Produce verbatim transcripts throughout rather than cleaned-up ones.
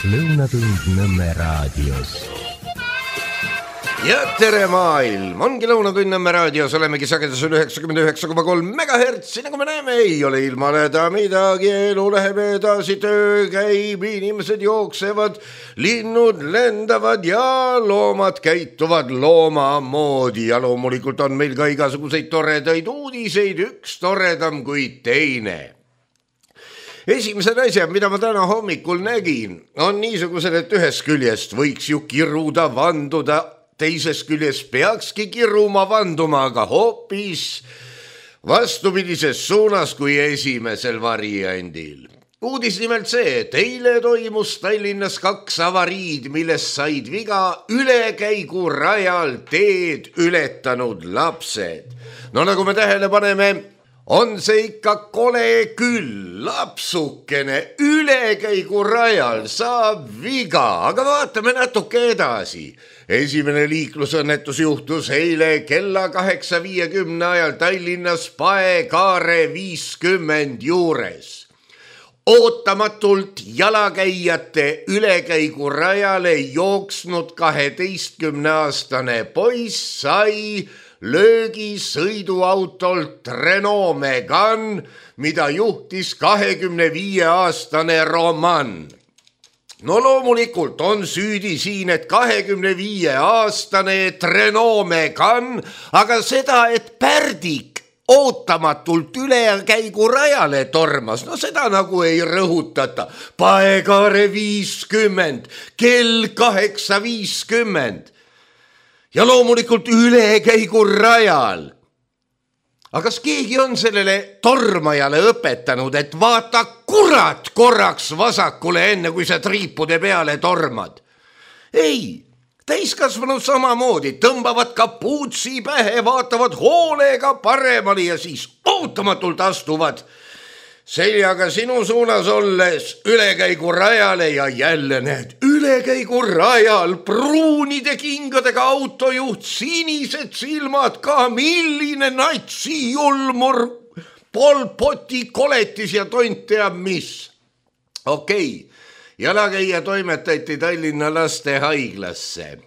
Lõunatund Nõmme raadios. Ja tere maailm, ongi Lõunatund Nõmme raadios, olemegi sagedusel üheksakümmend üheksa koma kolm megahertsi, nagu me näeme, ei ole ilmaneda midagi, elu läheb edasi, töö käib, inimesed jooksevad, linnud lendavad ja loomad käituvad looma moodi ja loomulikult on meil ka igasuguseid toredaid uudiseid, üks toredam kui teine. Esimesed asjad, mida ma täna hommikul nägin, on niisugused, et ühest küljest võiks ju kiruda, vanduda, teisest küljest peakski kiruma vanduma, aga hoopis vastupidises suunas kui esimesel variandil. Uudis nimelt see, et eile toimus Tallinnas kaks avariid, millest said viga ülekäigu rajal teed ületanud lapsed. No nagu me tähele paneme, on see ikka kole küll, lapsukene ülekäigu rajal saab viga, aga vaatame natuke edasi. Esimene liiklusõnnetus juhtus eile kella kaheksa viiekümne ajal Tallinnas Pae-Kaare viiskümmend juures. Ootamatult jalakäijate ülekäigu rajale jooksnud kaheteistkümneaastane poiss sai löögi sõiduautolt Renault Megane, mida juhtis kahekümne viie aastane Roman. No loomulikult on süüdi siin, et kahekümne viie aastane Renault Megane, aga seda, et pärdik ootamatult ülekäigu rajale tormas, no seda nagu ei rõhutata. Pae-Kaare viiskümmend, kell kaheksa viiskümmend. Ja loomulikult ülekäigu rajal. Aga kas keegi on sellele tormajale õpetanud, et vaata kurat korraks vasakule enne, kui sa triipude peale tormad? Ei, täiskasvanud samamoodi, tõmbavad kapuutsi pähe, vaatavad hoolega paremale ja siis ootamatult astuvad seljaga sinu suunas olles ülekäigu rajale ja jälle need ülekäigu rajal pruunide kingadega autojuht, sinised silmad ka, milline natsi julmur, Polpoti koletis ja tont teab mis. Okei, jalakäija toimetati Tallinna lastehaiglasse.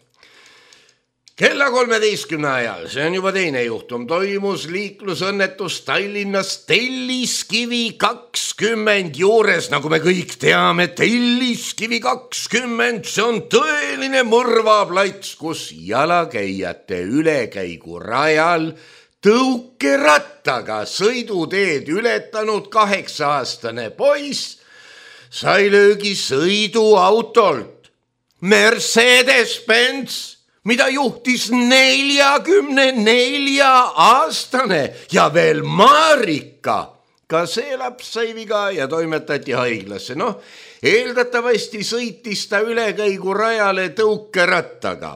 Kella kolmeteistkümne ajal, see on juba teine juhtum, toimus liiklusõnnetus Tallinnas Telliskivi kakskümmend juures, nagu me kõik teame, Telliskivi kakskümmend, see on tõeline mõrvaplats, kus jalakäijate ülekäigu rajal tõukerattaga sõiduteed ületanud kaheksa-aastane poiss sai löögi sõiduautolt Mercedes-Benz, mida juhtis neljakümne nelja aastane ja veel Marika. Ka see laps sai viga ja toimetati haiglasse. Noh, eeldatavasti sõitis ta ülekäigu rajale tõukerattaga.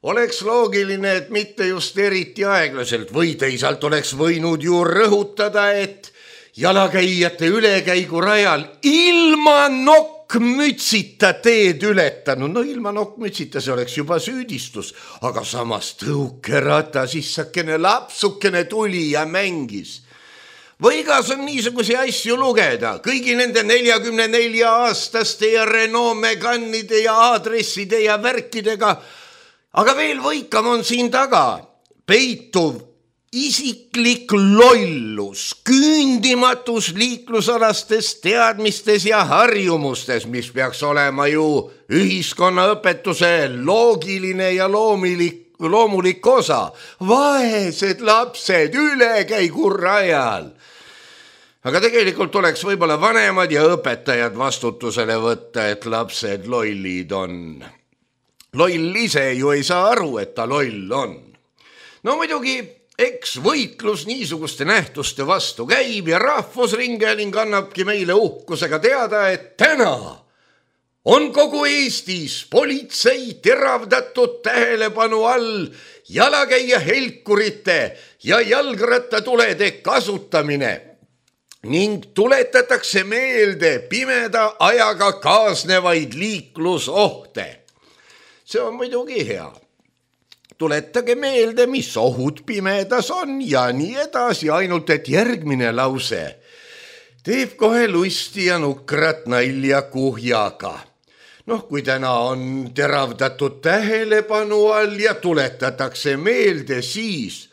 Oleks loogiline, et mitte just eriti aeglaselt või teisalt oleks võinud ju rõhutada, et jalakäijate ülekäigu rajal ilma nokk mütsita teed ületanud. No ilma nokkmütsita see oleks juba süüdistus, aga samas tõukerata sissakene lapsukene tuli ja mängis. Võigas on niisugusi asju lugeda, kõigi nende neljakümne nelja aastaste ja Renault Megane'ide ja aadresside ja värkidega, aga veel võikam on siin taga peituv isiklik lollus, küündimatus liiklusalastes teadmistes ja harjumustes, mis peaks olema ju ühiskonnaõpetuse loogiline ja loomulik, loomulik osa. Vaesed lapsed ülekäigu rajal. Aga tegelikult oleks võib-olla vanemad ja õpetajad vastutusele võtta, et lapsed lollid on. Loll ise ju ei saa aru, et ta loll on. No muidugi, eks võitlus niisuguste nähtuste vastu käib ja Rahvusringhääling annabki meile uhkusega teada, et täna on kogu Eestis politsei teravdatud tähelepanu all jalakäija helkurite ja jalgrattatulede kasutamine ning tuletatakse meelde pimeda ajaga kaasnevaid liiklusohte. See on muidugi hea. Tuletage meelde, mis ohud pimedas on ja nii edasi, ainult et järgmine lause teeb kohe lusti ja nukrat nalja kuhjaga. Noh, kui täna on teravdatud tähelepanu all ja tuletatakse meelde, siis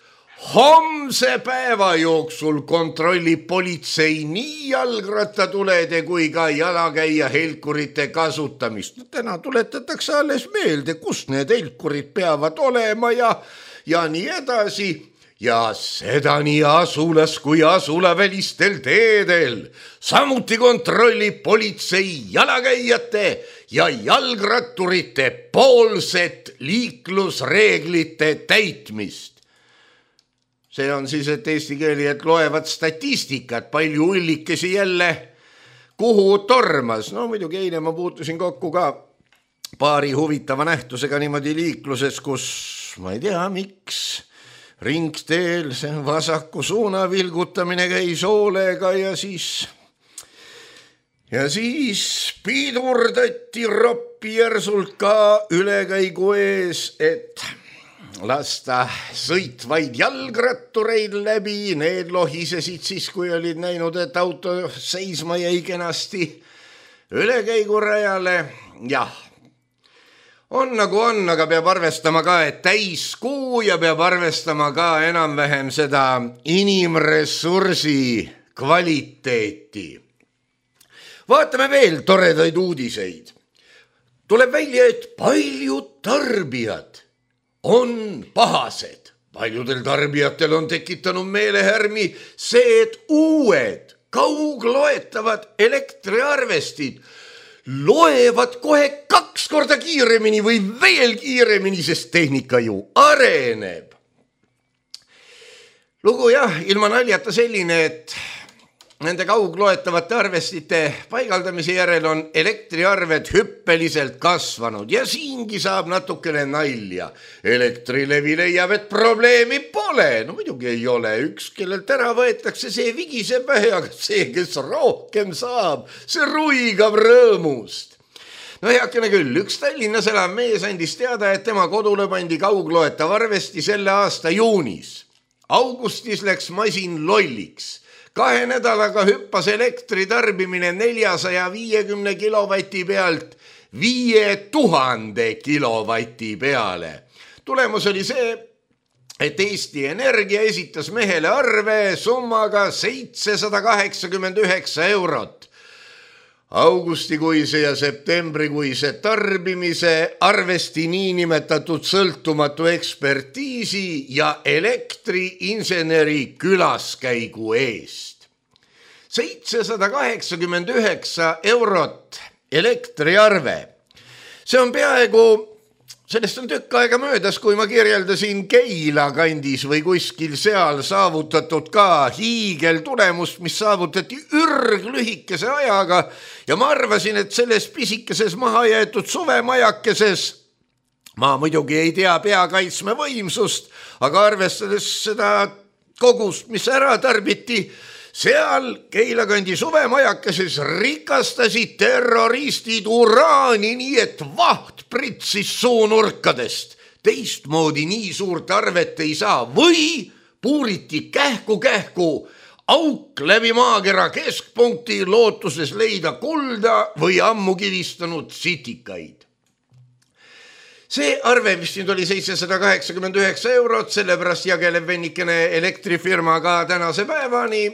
homse päeva jooksul kontrollib politsei nii jalgrattatulede kui ka jalakäija helkurite kasutamist. Täna tuletatakse alles meelde, kus need helkurid peavad olema ja, ja nii edasi. Ja seda nii asulas kui asulavälistel teedel. Samuti kontrollib politsei jalakäijate ja jalgratturite poolset liiklusreeglite täitmist. See on siis, et eesti keelijad loevad statistikat, palju ullikesi jälle kuhu tormas. No muidugi eile ma puutusin kokku ka paari huvitava nähtusega niimoodi liikluses, kus ma ei tea, miks ringteel see vasaku suuna vilgutamine käis hoolega ja siis, ja siis pidurdati roppi järsult ka ülekäigu ees, et lasta sõitvaid jalgrattureid läbi. Need lohisesid siis, kui olid näinud, et auto seisma jäi kenasti ülekäigurajale. Jah, on nagu on, aga peab arvestama ka, et täiskuu ja peab arvestama ka enam-vähem seda inimressursi kvaliteeti. Vaatame veel toredaid uudiseid. Tuleb välja, et paljud tarbijad on pahased. Paljudel tarbijatel on tekitanud meelehärmi see, et uued kaugloetavad elektriarvestid loevad kohe kaks korda kiiremini või veel kiiremini, sest tehnika ju areneb. Lugu jah, ilma naljata selline, et nende kaugloetavate arvestite paigaldamise järel on elektriarved hüppeliselt kasvanud ja siingi saab natukene nalja. Elektrilevi leiab, et probleemi pole. No muidugi ei ole. Üks, kellelt ära võetakse, see vigiseb vähe, aga see, kes rohkem saab, see ruigab rõõmust. No heakene küll, üks Tallinnas elav mees andis teada, et tema kodule pandi kaugloetav arvesti selle aasta juunis. Augustis läks masin lolliks. Kahe nädalaga hüppas elektri tarbimine neljasaja viiekümne kilovati pealt viie tuhande kilovati peale. Tulemus oli see, et Eesti Energia esitas mehele arve summaga seitsesada kaheksakümmend üheksa eurot. Augustikuise ja septembrikuise tarbimise arvesti niinimetatud sõltumatu ekspertiisi ja elektriinseneri külaskäigu eest. seitsesada kaheksakümmend üheksa eurot elektriarve. See on peaaegu, sellest on tükk aega möödas, kui ma kirjeldasin Keila kandis või kuskil seal saavutatud ka hiigel tulemust, mis saavutati ürglühikese ajaga ja ma arvasin, et selles pisikeses maha jäetud suvemajakeses ma muidugi ei tea peakaitsme võimsust, aga arvestades seda kogust, mis ära tarbiti, seal Keila kandi suvemajakeses rikastasid terroristid uraani nii, et vaht pritsis suunurkadest. Teistmoodi nii suurt arvet ei saa või puuriti kähku-kähku auk läbi maakera keskpunkti lootuses leida kulda või ammu kivistanud sitikaid. See arve, mis nüüd oli seitsesada kaheksakümmend üheksa eurot, sellepärast jageleb vennikene elektrifirma ka tänase päevani.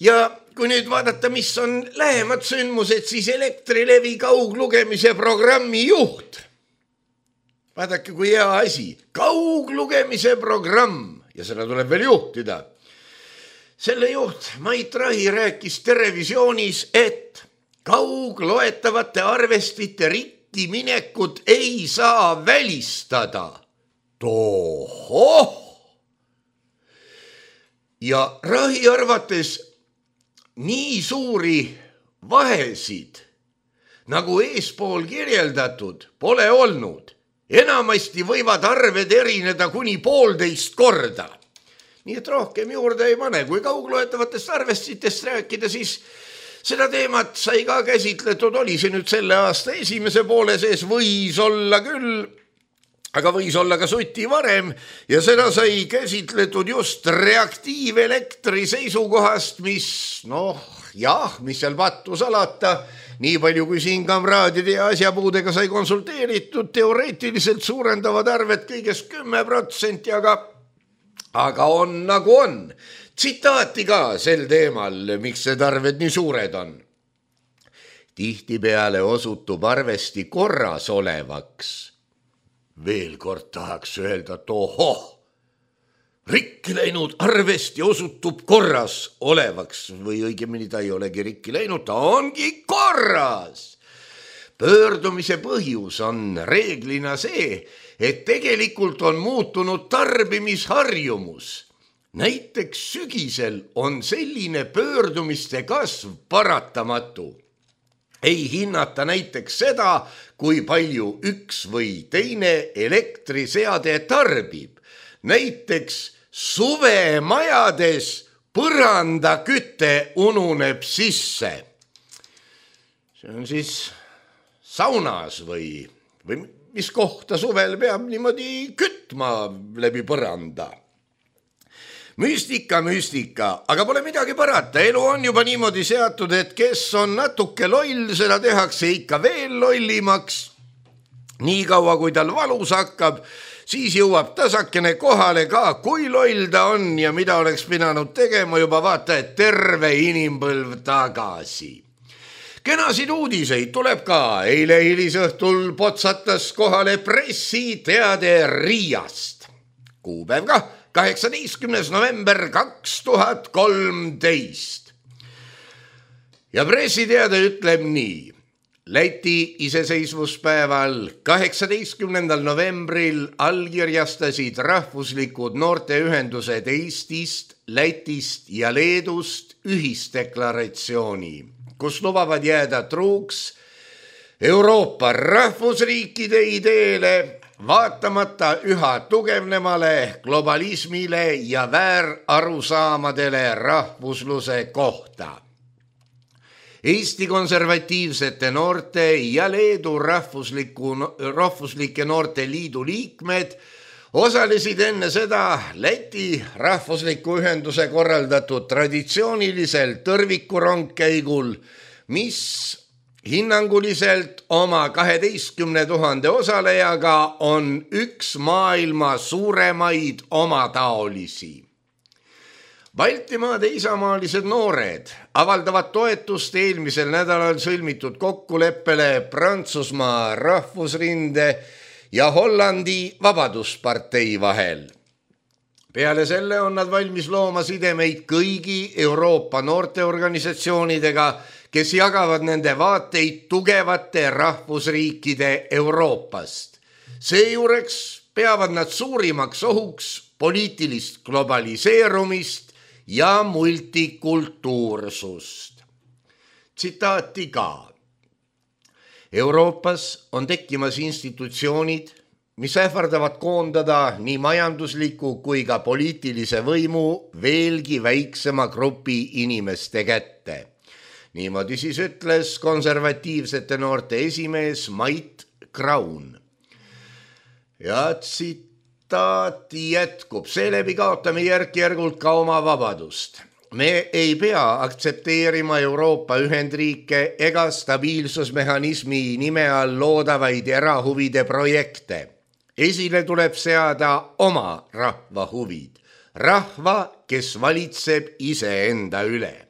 Ja kui nüüd vaadata, mis on lähemad sündmused, siis Elektrilevi kauglugemise programmi juht. Vaadake, kui hea asi. Kauglugemise programm ja seda tuleb veel juhtida. Selle juht Mait Rahi rääkis televisioonis, et kaugloetavate arvestite ritti minekut ei saa välistada. Tohoh! Ja Rahi arvates nii suuri vahesid, nagu eespool kirjeldatud, pole olnud. Enamasti võivad arved erineda kuni poolteist korda. Nii et rohkem juurde ei pane. Kui kaugloetavatest arvestitest rääkida, siis seda teemat sai ka käsitletud. Oli see nüüd selle aasta esimese poole sees, võis olla küll, aga võis olla ka suti varem ja seda sai käsitletud just reaktiivelektri seisukohast, mis noh, jah, mis seal pattu salata, nii palju kui siin kamraadide ja asjapuudega sai konsulteeritud, teoreetiliselt suurendavad arved kõigest kümme protsenti, aga, aga on nagu on. Tsitaati ka sel teemal, miks need arved nii suured on. Tihtipeale osutub arvesti korras olevaks. Veel kord tahaks öelda, et ohoh, rikki läinud arvesti osutub korras olevaks või õigemini ta ei olegi rikki läinud, ta ongi korras. Pöördumise põhjus on reeglina see, et tegelikult on muutunud tarbimisharjumus. Näiteks sügisel on selline pöördumiste kasv paratamatu. Ei hinnata näiteks seda, kui palju üks või teine elektriseade tarbib. Näiteks suvemajades põrandaküte ununeb sisse. See on siis saunas või, või mis kohta suvel peab niimoodi kütma läbi põranda. Müstika, müstika, aga pole midagi parata. Elu on juba niimoodi seatud, et kes on natuke loll, seda tehakse ikka veel lollimaks. Nii kaua, kui tal valus hakkab, siis jõuab tasakene kohale ka, kui loll ta on ja mida oleks pidanud tegema juba vaata, et terve inimpõlv tagasi. Kenasid uudiseid tuleb ka. Eile hilisõhtul potsatas kohale pressiteade Riiast. Kuupäev ka. kaheksateistkümnes november kaks tuhat kolmteist. Ja pressiteade ütleb nii. Läti iseseisvuspäeval kaheksateistkümnendal novembril allkirjastasid rahvuslikud noorteühendused Eestist, Lätist ja Leedust ühisdeklaratsiooni, kus lubavad jääda truuks Euroopa rahvusriikide ideele, vaatamata üha tugevnemale globalismile ja väärarusaamadele rahvusluse kohta. Eesti konservatiivsete noorte ja Leedu rahvusliku, rahvuslike noorte liidu liikmed osalesid enne seda Läti rahvusliku ühenduse korraldatud traditsioonilisel tõrvikurongkäigul, mis hinnanguliselt oma kaheteistkümne tuhande osalejaga on üks maailma suuremaid omataolisi. Baltimaade isamaalised noored avaldavad toetust eelmisel nädalal sõlmitud kokkuleppele Prantsusmaa rahvusrinde ja Hollandi Vabaduspartei vahel. Peale selle on nad valmis looma sidemeid kõigi Euroopa noorteorganisatsioonidega, kes jagavad nende vaateid tugevate rahvusriikide Euroopast. Seejuures peavad nad suurimaks ohuks poliitilist globaliseerumist ja multikultuursust. Tsitaati ka. Euroopas on tekkimas institutsioonid, mis ähvardavad koondada nii majandusliku kui ka poliitilise võimu veelgi väiksema grupi inimeste kätte. Niimoodi siis ütles konservatiivsete noorte esimees Mait Kraun. Ja tsitaati jätkub. Seeläbi kaotame järk-järgult ka oma vabadust. Me ei pea aktsepteerima Euroopa ühendriike ega stabiilsusmehhanismi nime all loodavaid erahuvide projekte. Esile tuleb seada oma rahva huvid. Rahva, kes valitseb iseenda üle.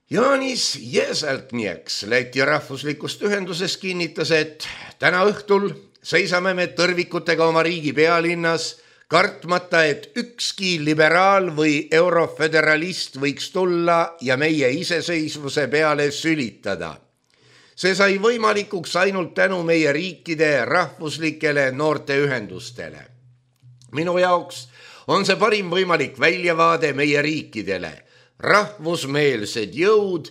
Jaanis Jeseltnieks Läti rahvuslikust ühendusest kinnitas, et täna õhtul seisame me tõrvikutega oma riigi pealinnas, kartmata, et ükski liberaal või euroföderalist võiks tulla ja meie iseseisvuse peale sülitada. See sai võimalikuks ainult tänu meie riikide rahvuslikele noorteühendustele. Minu jaoks on see parim võimalik väljavaade meie riikidele. Rahvusmeelsed jõud,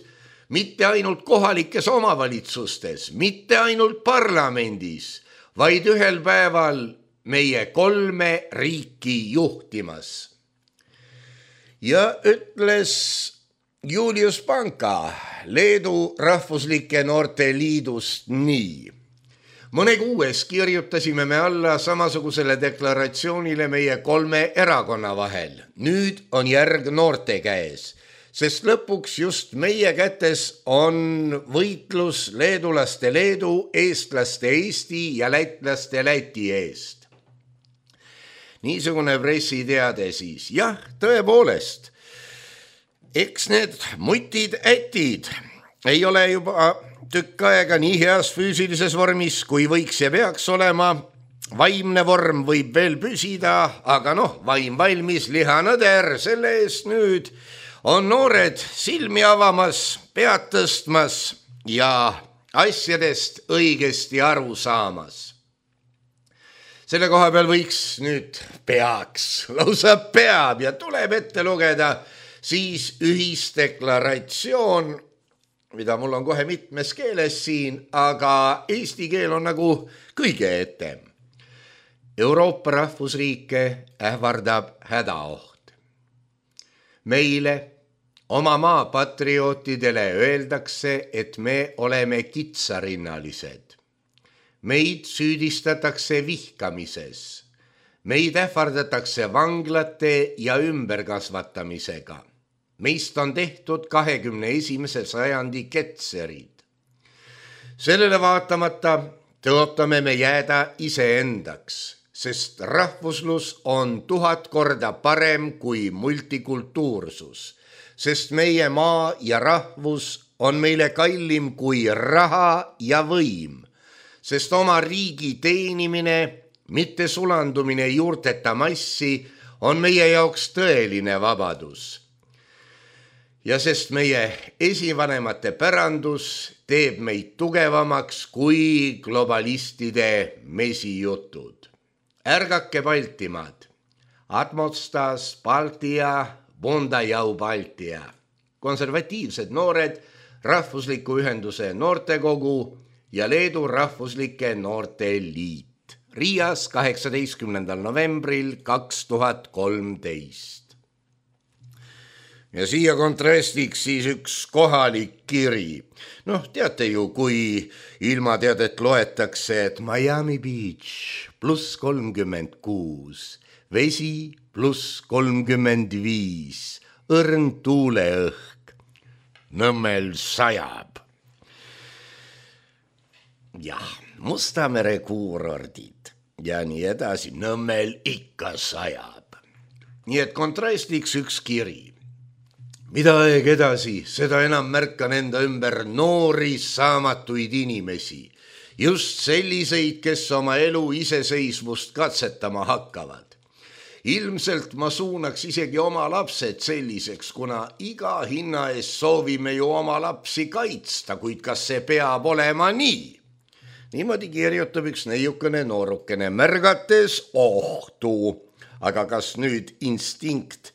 mitte ainult kohalikes omavalitsustes, mitte ainult parlamendis, vaid ühel päeval meie kolme riiki juhtimas. Ja ütles Julius Panka Leedu rahvuslike noorte liidust nii. Mõne kuues kirjutasime me alla samasugusele deklaratsioonile meie kolme erakonna vahel. Nüüd on järg noorte käes. sest lõpuks just meie kätes on võitlus leedulaste Leedu, eestlaste Eesti ja lätlaste Läti eest. Niisugune pressiteade siis. Jah, tõepoolest, eks need mutid-ätid ei ole juba tükk aega nii heas füüsilises vormis, kui võiks ja peaks olema. Vaimne vorm võib veel püsida, aga noh, vaim valmis, liha nõder, selle eest nüüd on noored silmi avamas, pead tõstmas ja asjadest õigesti aru saamas. Selle koha peal võiks nüüd peaks, lausa peab ja tuleb ette lugeda siis ühisdeklaratsioon, mida mul on kohe mitmes keeles siin, aga eesti keel on nagu kõige etem. Euroopa rahvusriike ähvardab hädaoht. Meile, oma maa patriootidele öeldakse, et me oleme kitsarinnalised. Meid süüdistatakse vihkamises. Meid ähvardatakse vanglate ja ümberkasvatamisega. Meist on tehtud kahekümne esimese sajandi ketserid. Sellele vaatamata tõotame me jääda iseendaks, sest rahvuslus on tuhat korda parem kui multikultuursus, sest meie maa ja rahvus on meile kallim kui raha ja võim, sest oma riigi teenimine, mitte sulandumine juurteta massi, on meie jaoks tõeline vabadus. Ja sest meie esivanemate pärandus teeb meid tugevamaks kui globalistide mesijutud. Ärgake Baltimaad, Atmostas, Baltia, Bondajau Baltia, konservatiivsed noored, rahvusliku ühenduse noortekogu ja Leedu rahvuslike noorte liit. Riias kaheksateistkümnendal novembril kaks tuhat kolmteist. Ja siia kontrastiks siis üks kohalik kiri. Noh, teate ju, kui ilmateadet loetakse, et Miami Beach pluss kolmkümmend kuus, vesi pluss kolmkümmend viis, õrn tuuleõhk, Nõmmel sajab. Jah, Mustamere kuurordid ja nii edasi, Nõmmel ikka sajab. Nii et kontrastiks üks kiri. Mida aeg edasi, seda enam märkan enda ümber noori saamatuid inimesi, just selliseid, kes oma elu iseseisvust katsetama hakkavad. Ilmselt ma suunaks isegi oma lapsed selliseks, kuna iga hinna eest soovime ju oma lapsi kaitsta, kuid kas see peab olema nii? Niimoodi kirjutab üks neiukene noorukene, märgates ohtu, aga kas nüüd instinkt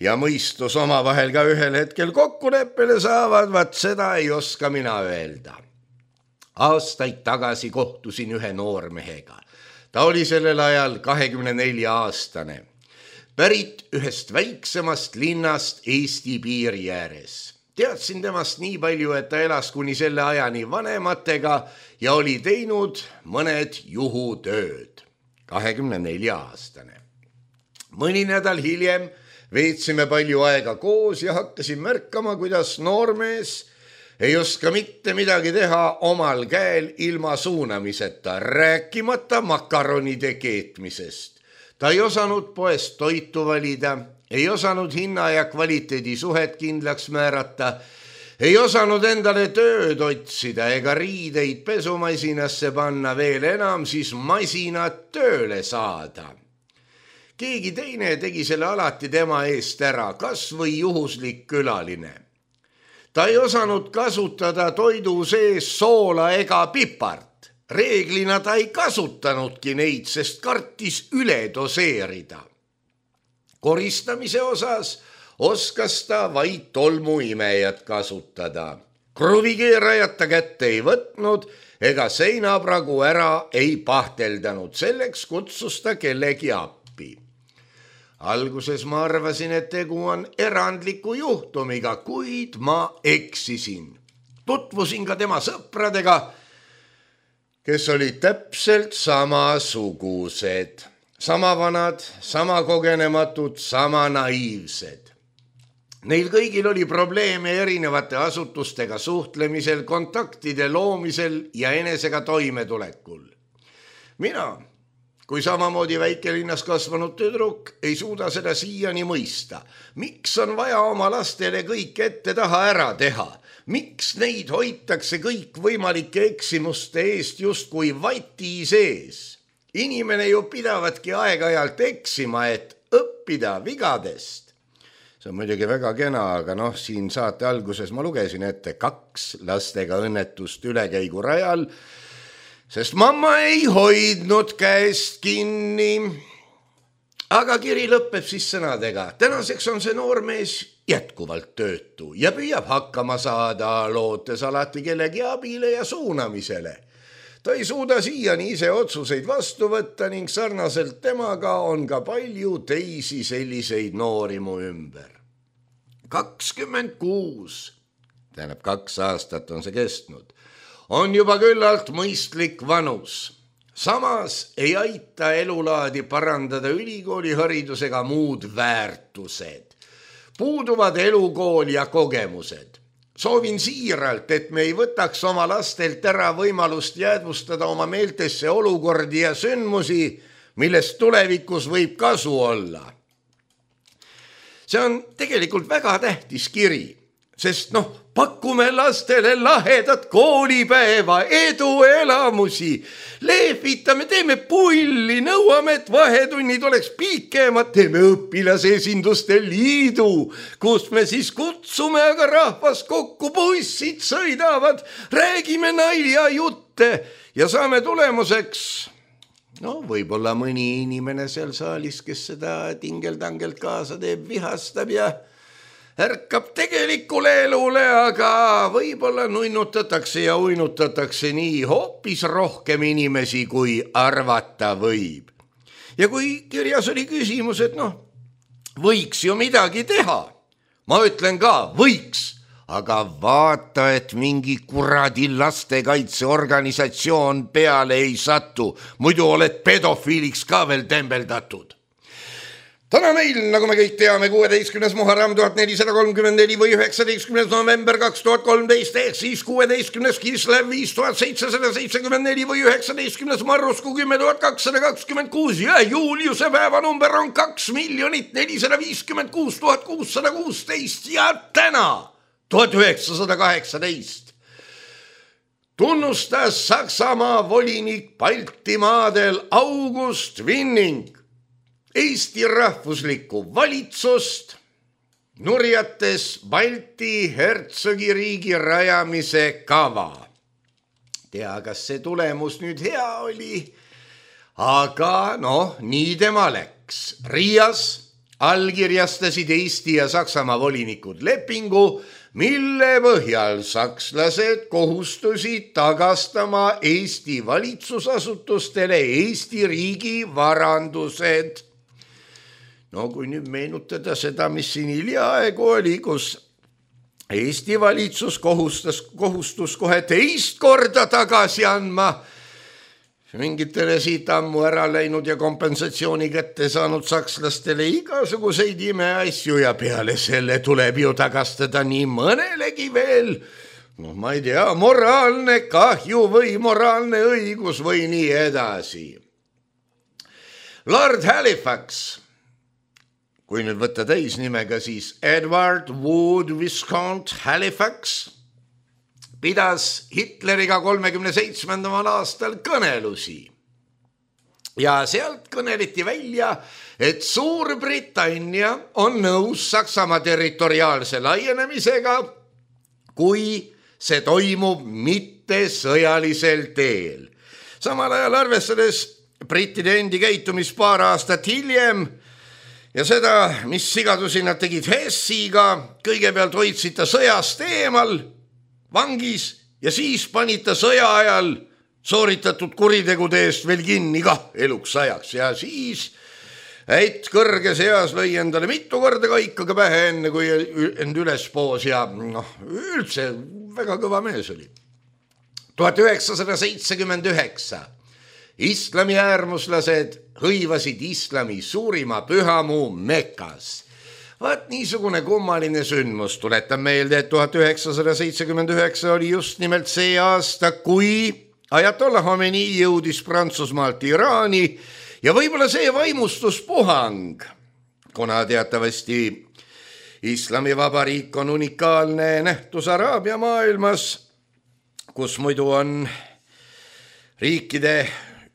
ja mõistus omavahel ka ühel hetkel kokkuleppele saavad, vaat seda ei oska mina öelda. Aastaid tagasi kohtusin ühe noormehega. Ta oli sellel ajal kahekümne nelja aastane. Pärit ühest väiksemast linnast Eesti piiri ääres. Teadsin temast nii palju, et ta elas kuni selle ajani vanematega ja oli teinud mõned juhutööd. kahekümne nelja aastane. Mõni nädal hiljem veetsime palju aega koos ja hakkasin märkama, kuidas noormees ei oska mitte midagi teha omal käel ilma suunamiseta, rääkimata makaronide keetmisest. Ta ei osanud poest toitu valida, ei osanud hinna ja kvaliteedi suhet kindlaks määrata, ei osanud endale tööd otsida ega riideid pesumasinasse panna, veel enam siis masinat tööle saada. Keegi teine tegi selle alati tema eest ära, kas või juhuslik külaline. Ta ei osanud kasutada toidu sees soola ega pipart. Reeglina ta ei kasutanudki neid, sest kartis üle doseerida. Koristamise osas oskas ta vaid tolmuimejat kasutada. Kruvikeerajat ta kätte ei võtnud ega seinapragu ära ei pahteldanud. Selleks kutsus ta kellegi appi. Alguses ma arvasin, et tegu on erandliku juhtumiga, kuid ma eksisin. Tutvusin ka tema sõpradega, kes olid täpselt samasugused. Sama vanad, sama kogenematud, sama naiivsed. Neil kõigil oli probleeme erinevate asutustega suhtlemisel, kontaktide loomisel ja enesega toimetulekul. Mina, kui samamoodi väikelinnas kasvanud tüdruk, ei suuda seda siiani mõista. Miks on vaja oma lastele kõik ette taha ära teha? Miks neid hoitakse kõik võimalike eksimuste eest justkui vati sees? Inimene ju pidavatki aeg-ajalt eksima, et õppida vigadest. See on muidugi väga kena, aga noh, siin saate alguses ma lugesin ette kaks lastega õnnetust ülekäigu rajal, sest mamma ei hoidnud käest kinni. Aga kiri lõpeb siis sõnadega. Tänaseks on see noormees jätkuvalt töötu ja püüab hakkama saada, lootes alati kellegi abile ja suunamisele. Ta ei suuda siiani ise otsuseid vastu võtta ning sarnaselt temaga on ka palju teisi selliseid noori mu ümber. kakskümmend kuus, tähendab kaks aastat on see kestnud, on juba küllalt mõistlik vanus. Samas ei aita elulaadi parandada ülikooli haridusega muud väärtused. Puuduvad elukool ja kogemused. Soovin siiralt, et me ei võtaks oma lastelt ära võimalust jäädvustada oma meeltesse olukordi ja sündmusi, millest tulevikus võib kasu olla. See on tegelikult väga tähtis kiri, sest noh, pakume lastele lahedat koolipäeva, edu elamusi, lehvitame, teeme pulli, nõuame, et vahetunnid oleks pikemad, teeme õpilasesinduste liidu, kus me siis kutsume aga rahvas kokku, bussid sõidavad, räägime nalja jutte ja saame tulemuseks, no võib-olla mõni inimene seal saalis, kes seda tingeldangelt kaasa teeb, vihastab ja ärkab tegelikule elule, aga võib-olla nunnutatakse ja uinutatakse nii hoopis rohkem inimesi, kui arvata võib. Ja kui kirjas oli küsimus, et noh, võiks ju midagi teha. Ma ütlen ka, võiks, aga vaata, et mingi kuradi lastekaitseorganisatsioon peale ei satu, muidu oled pedofiiliks ka veel tembeldatud. Täna meil, nagu me kõik teame, kuueteistkümnes Muharram tuhat nelisada kolmkümmend neli või üheksateistkümnes november kaks tuhat kolmteist ehk siis kuueteistkümnes Kislev viis tuhat seitsesada seitsekümmend neli või üheksateistkümnes Marrusku kümme tuhat kakssada kakskümmend kuus ja Juuliuse päevanumber on kaks miljonit nelisada viiskümmend kuus tuhat kuussada kuusteist ja täna tuhat üheksasada kaheksateist tunnustas Saksamaa volinik Baltimaadel August Winning Eesti rahvuslikku valitsust, nurjates Balti hertsogiriigi rajamise kava. Tea, kas see tulemus nüüd hea oli, aga noh, nii tema läks. Riias allkirjastasid Eesti ja Saksamaa volinikud lepingu, mille põhjal sakslased kohustusid tagastama Eesti valitsusasutustele Eesti riigi varandused. No kui nüüd meenutada seda, mis siin hiljaaegu oli, kus Eesti valitsus kohustas, kohustus kohe teist korda tagasi andma mingitele siit ammu ära läinud ja kompensatsiooni kätte saanud sakslastele igasuguseid imeasju ja peale selle tuleb ju tagastada nii mõnelegi veel, noh ma ei tea, moraalne kahju või moraalne õigus või nii edasi. Lord Halifax, kui nüüd võtta täisnimega, siis Edward Wood Viscount Halifax pidas Hitleriga kolmekümne seitsmendal aastal kõnelusi. Ja sealt kõneliti välja, et Suurbritannia on nõus Saksamaa territoriaalse laienemisega, kui see toimub mitte sõjalisel teel. Samal ajal arvestades brittide endi käitumis paar aastat hiljem, ja seda, mis sigadusi nad tegid Hessiga, kõigepealt hoidsid ta sõjast eemal, vangis ja siis panid ta sõja ajal sooritatud kuritegude eest veel kinni kah eluks ajaks. Ja siis äit kõrges eas lõi endale mitu korda kaikaga pähe enne, kui end üles poos ja noh, üldse väga kõva mees oli. tuhat üheksasada seitsekümmend üheksa islami äärmuslased hõivasid islami suurima pühamuu Mekas. Vaat niisugune kummaline sündmus. Tuletan meelde, et tuhat üheksasada seitsekümmend üheksa oli just nimelt see aasta, kui Ajatollah Khomeini jõudis Prantsusmaalt Iraani ja võib-olla see vaimustuspuhang, kuna teatavasti Islamivabariik on unikaalne nähtus Araabia maailmas, kus muidu on riikide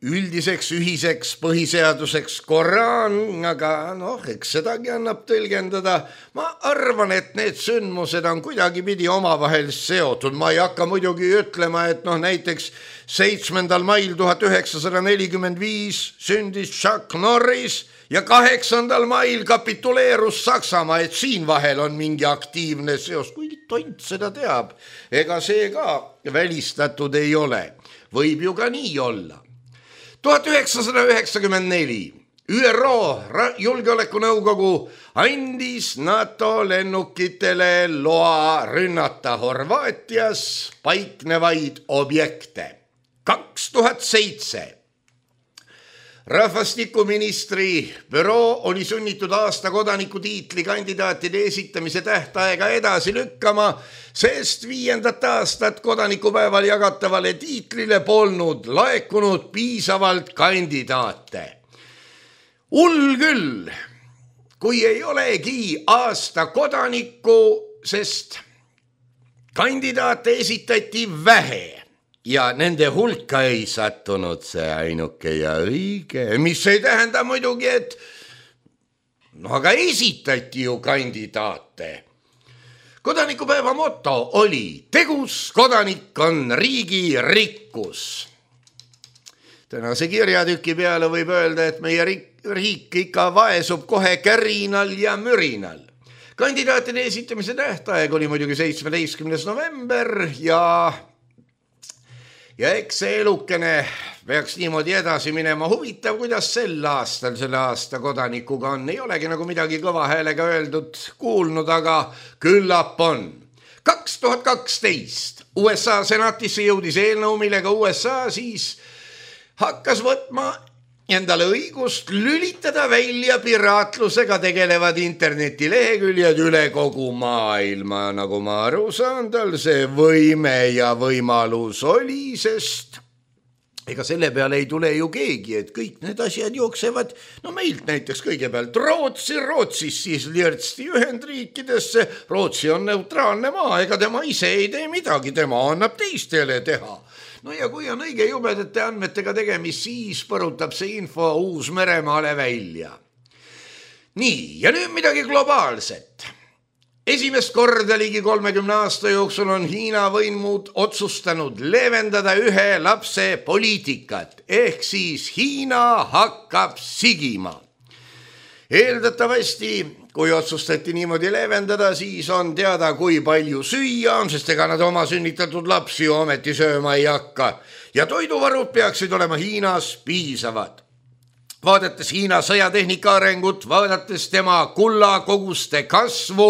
üldiseks ühiseks põhiseaduseks Koraan, aga noh, eks sedagi annab tõlgendada. Ma arvan, et need sündmused on kuidagipidi omavahel seotud. Ma ei hakka muidugi ütlema, et noh, näiteks seitsmendal mail tuhat üheksasada nelikümmend viis sündis Chuck Norris ja kaheksandal mail kapituleerus Saksamaa, et siin vahel on mingi aktiivne seos. Kui tont seda teab, ega see ka välistatud ei ole. Võib ju ka nii olla. tuhat üheksasada üheksakümmend neli Ü R O julgeolekunõukogu andis NATO lennukitele loa rünnata Horvaatias paiknevaid objekte. kaks tuhat seitse Rahvastikuministri büroo oli sunnitud aasta kodaniku tiitli kandidaatide esitamise tähtaega edasi lükkama, sest viiendat aastat kodanikupäeval jagatavale tiitlile polnud laekunud piisavalt kandidaate. Hull küll, kui ei olegi aasta kodanikku, sest kandidaate esitati vähe. Ja nende hulka ei sattunud see ainuke ja õige, mis ei tähenda muidugi, et no aga esitati ju kandidaate. Kodanikupäeva moto oli tegus kodanik on riigi rikkus. Tänase kirjatüki peale võib öelda, et meie riik ikka vaesub kohe kärinal ja mürinal. Kandidaatide esitamise tähtaeg oli muidugi seitsmeteistkümnes november ja Ja eks see elukene peaks niimoodi edasi minema. Huvitav, kuidas sel aastal, selle aasta kodanikuga on. Ei olegi nagu midagi kõva häälega öeldud, kuulnud, aga küllap on. kaks tuhat kaksteist U S A senatisse jõudis eelnõu, millega U S A siis hakkas võtma endale õigust lülitada välja piraatlusega tegelevad internetileheküljed üle kogu maailma. Nagu ma aru saan, tal see võime ja võimalus oli, sest ega selle peale ei tule ju keegi, et kõik need asjad jooksevad, no meilt näiteks kõigepealt Rootsi, Rootsis siis lirtsti Ühendriikidesse. Rootsi on neutraalne maa, ega tema ise ei tee midagi, tema annab teistele teha. No ja kui on õige jubedate andmetega tegemis, siis põrutab see info Uus-Meremaale välja. Nii, ja nüüd midagi globaalset. Esimest korda ligi kolmekümne aasta jooksul on Hiina võimud otsustanud leevendada ühe lapse poliitikat, ehk siis Hiina hakkab sigima. Eeldatavasti, kui otsustati niimoodi leevendada, siis on teada, kui palju süüa on, sest ega nad oma sünnitatud lapsi ometi sööma ei hakka. Ja toiduvarud peaksid olema Hiinas piisavad. Vaadates Hiina sõjatehnika arengut, vaadates tema kullakoguste kasvu,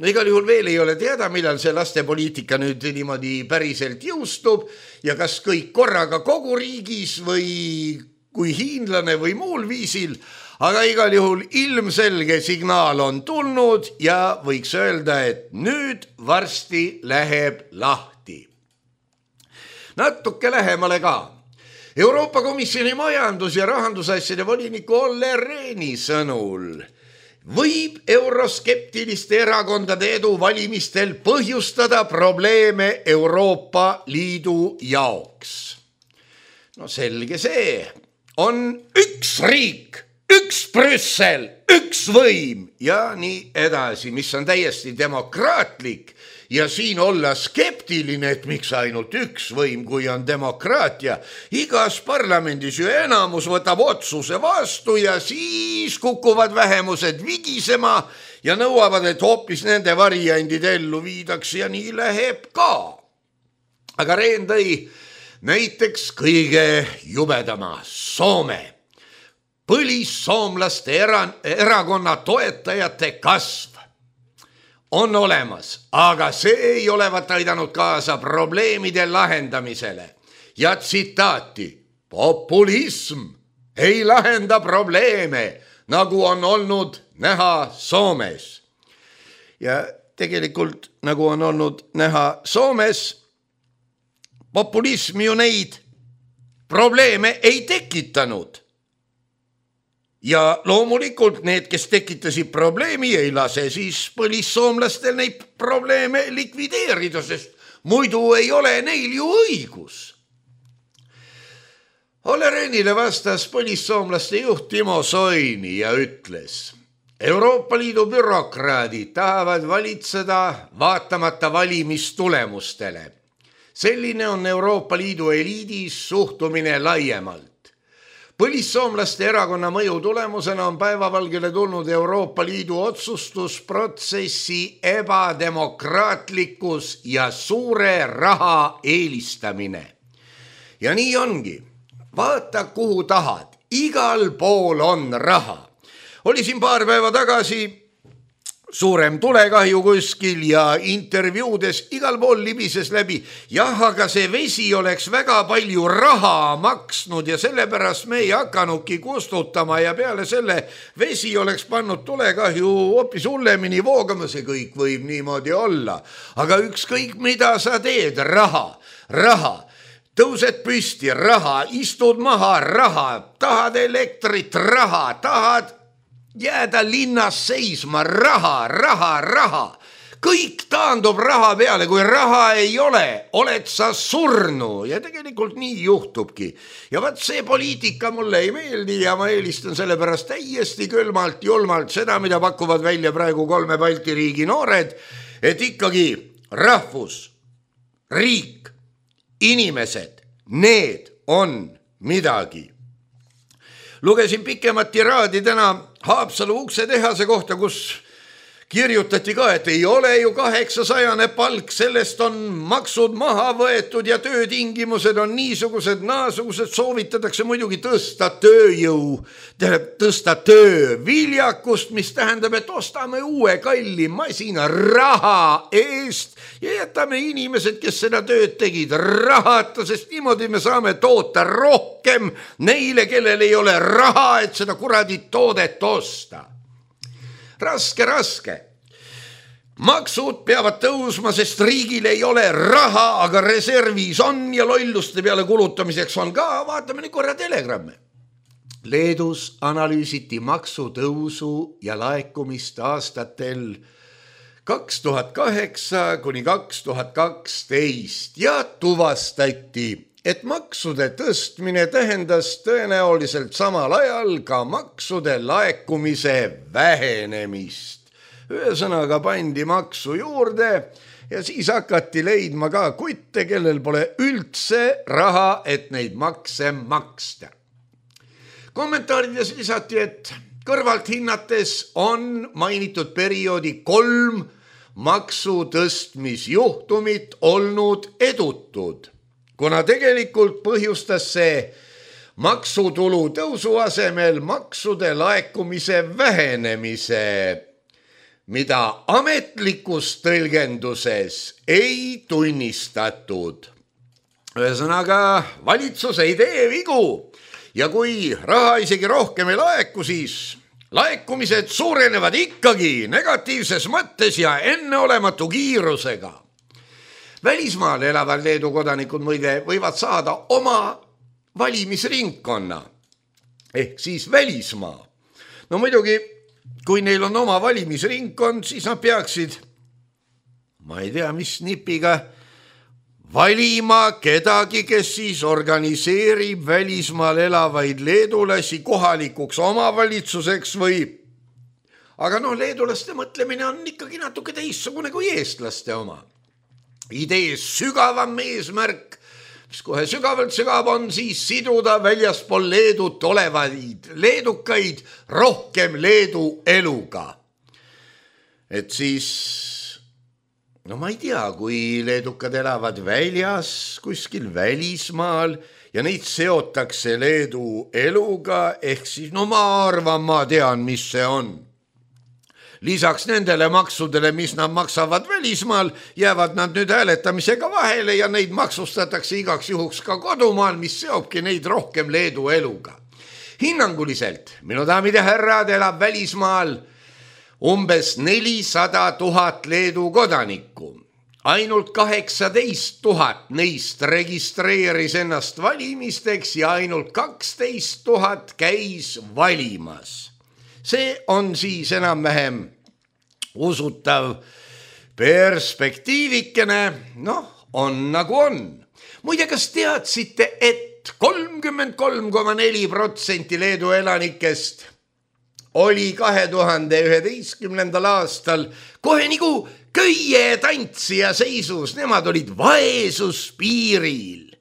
no igal juhul veel ei ole teada, millal see lastepoliitika nüüd niimoodi päriselt jõustub ja kas kõik korraga kogu riigis või kui hiinlane või muul viisil. Aga igal juhul ilmselge signaal on tulnud ja võiks öelda, et nüüd varsti läheb lahti. Natuke lähemale ka. Euroopa Komisjoni majandus- ja rahandusasjade voliniku Olli Rehni sõnul võib euroskeptiliste erakondade edu valimistel põhjustada probleeme Euroopa Liidu jaoks. No selge see, on üks riik, üks Brüssel, üks võim ja nii edasi, mis on täiesti demokraatlik ja siin olla skeptiline, et miks ainult üks võim, kui on demokraatia. Igas parlamendis ju enamus võtab otsuse vastu ja siis kukuvad vähemused vigisema ja nõuavad, et hoopis nende variandid ellu viidaks ja nii läheb ka. Aga Rehn tõi näiteks kõige jubedama Soome. Põlissoomlaste erakonna toetajate kasv on olemas, aga see ei olevat aidanud kaasa probleemide lahendamisele. Ja tsitaati, populism ei lahenda probleeme, nagu on olnud näha Soomes. Ja tegelikult nagu on olnud näha Soomes, populism ju neid probleeme ei tekitanud. Ja loomulikult need, kes tekitasid probleemi, ei lase siis põlissoomlastel neid probleeme likvideerida, sest muidu ei ole neil ju õigus. Olle Rehnile vastas põlissoomlaste juht Timo Soini ja ütles: Euroopa Liidu bürokraadid tahavad valitseda vaatamata valimistulemustele. Selline on Euroopa Liidu eliidis suhtumine laiemalt. Põlissoomlaste erakonna mõju tulemusena on päevavalgele tulnud Euroopa Liidu otsustusprotsessi ebademokraatlikkus ja suure raha eelistamine. Ja nii ongi. Vaata kuhu tahad. Igal pool on raha. Oli siin paar päeva tagasi suurem tulekahju kuskil ja intervjuudes igal pool libises läbi. Jah, aga see vesi oleks väga palju raha maksnud ja sellepärast me ei hakanudki kustutama ja peale selle vesi oleks pannud tulekahju hoopis hullemini voogama. See kõik võib niimoodi olla. Aga ükskõik mida sa teed, raha, raha. Tõused püsti, raha, istud maha, raha, tahad elektrit, raha, tahad jääda linnas seisma, raha, raha, raha. Kõik taandub raha peale, kui raha ei ole, oled sa surnu ja tegelikult nii juhtubki. Ja vaat see poliitika mulle ei meeldi ja ma eelistan selle pärast täiesti külmalt, julmalt seda, mida pakuvad välja praegu kolme Balti riigi noored, et ikkagi rahvus, riik, inimesed, need on midagi. Lugesin pikemat tiraadi täna Haapsalu uksetehase kohta, kus kirjutati ka, et ei ole ju kaheksasajane palk, sellest on maksud maha võetud ja töötingimused on niisugused, naasugused, soovitatakse muidugi tõsta tööjõu, tõsta tööviljakust, mis tähendab, et ostame uue kalli masina raha eest ja jätame inimesed, kes seda tööd tegid, rahata, sest niimoodi me saame toota rohkem neile, kellel ei ole raha, et seda kuradi toodet osta. Raske, raske. Maksud peavad tõusma, sest riigil ei ole raha, aga reservis on ja lolluste peale kulutamiseks on ka. Vaatame nüüd korra telegramme. Leedus analüüsiti maksutõusu ja laekumist aastatel kaks tuhat kaheksa kuni kaks tuhat kaksteist ja tuvastati, et maksude tõstmine tähendas tõenäoliselt samal ajal ka maksude laekumise vähenemist. Ühesõnaga pandi maksu juurde ja siis hakati leidma ka kutte, kellel pole üldse raha, et neid makse maksta. Kommentaarides lisati, et kõrvalt hinnates on mainitud perioodi kolm maksutõstmisjuhtumit olnud edutud, kuna tegelikult põhjustas see maksutulu tõusu asemel maksude laekumise vähenemise, mida ametlikus tõlgenduses ei tunnistatud. Ühesõnaga, valitsus ei tee vigu ja kui raha isegi rohkem ei laeku, siis laekumised suurenevad ikkagi negatiivses mõttes ja enneolematu kiirusega. Välismaal elavad Leedu kodanikud muide võivad saada oma valimisringkonna ehk siis välismaa. No muidugi, kui neil on oma valimisringkond, siis nad peaksid, ma ei tea, mis nipiga, valima kedagi, kes siis organiseerib välismaal elavaid leedulasi kohalikuks omavalitsuseks või... Aga noh, leedulaste mõtlemine on ikkagi natuke teistsugune kui eestlaste oma. Idee sügavam eesmärk, mis kohe sügavalt sügav on, siis siduda väljaspool Leedut olevaid leedukaid rohkem Leedu eluga. Et siis, no ma ei tea, kui leedukad elavad väljas, kuskil välismaal ja neid seotakse Leedu eluga, ehk siis, no ma arvan, ma tean, mis see on. Lisaks nendele maksudele, mis nad maksavad välismaal, jäävad nad nüüd hääletamisega vahele ja neid maksustatakse igaks juhuks ka kodumaal, mis seobki neid rohkem Leedu eluga. Hinnanguliselt, minu daamid ja härrad, elab välismaal umbes nelisada tuhat Leedu kodanikku. Ainult kaheksateist tuhat neist registreeris ennast valimisteks ja ainult kaksteist tuhat käis valimas. See on siis enam-vähem usutav perspektiivikene, noh, on nagu on. Muide, kas teadsite, et kolmkümmend kolm koma neli protsenti Leedu elanikest oli kahe tuhande üheteistkümnendal aastal kohe nagu köie tantsija seisus, nemad olid vaesuspiiril.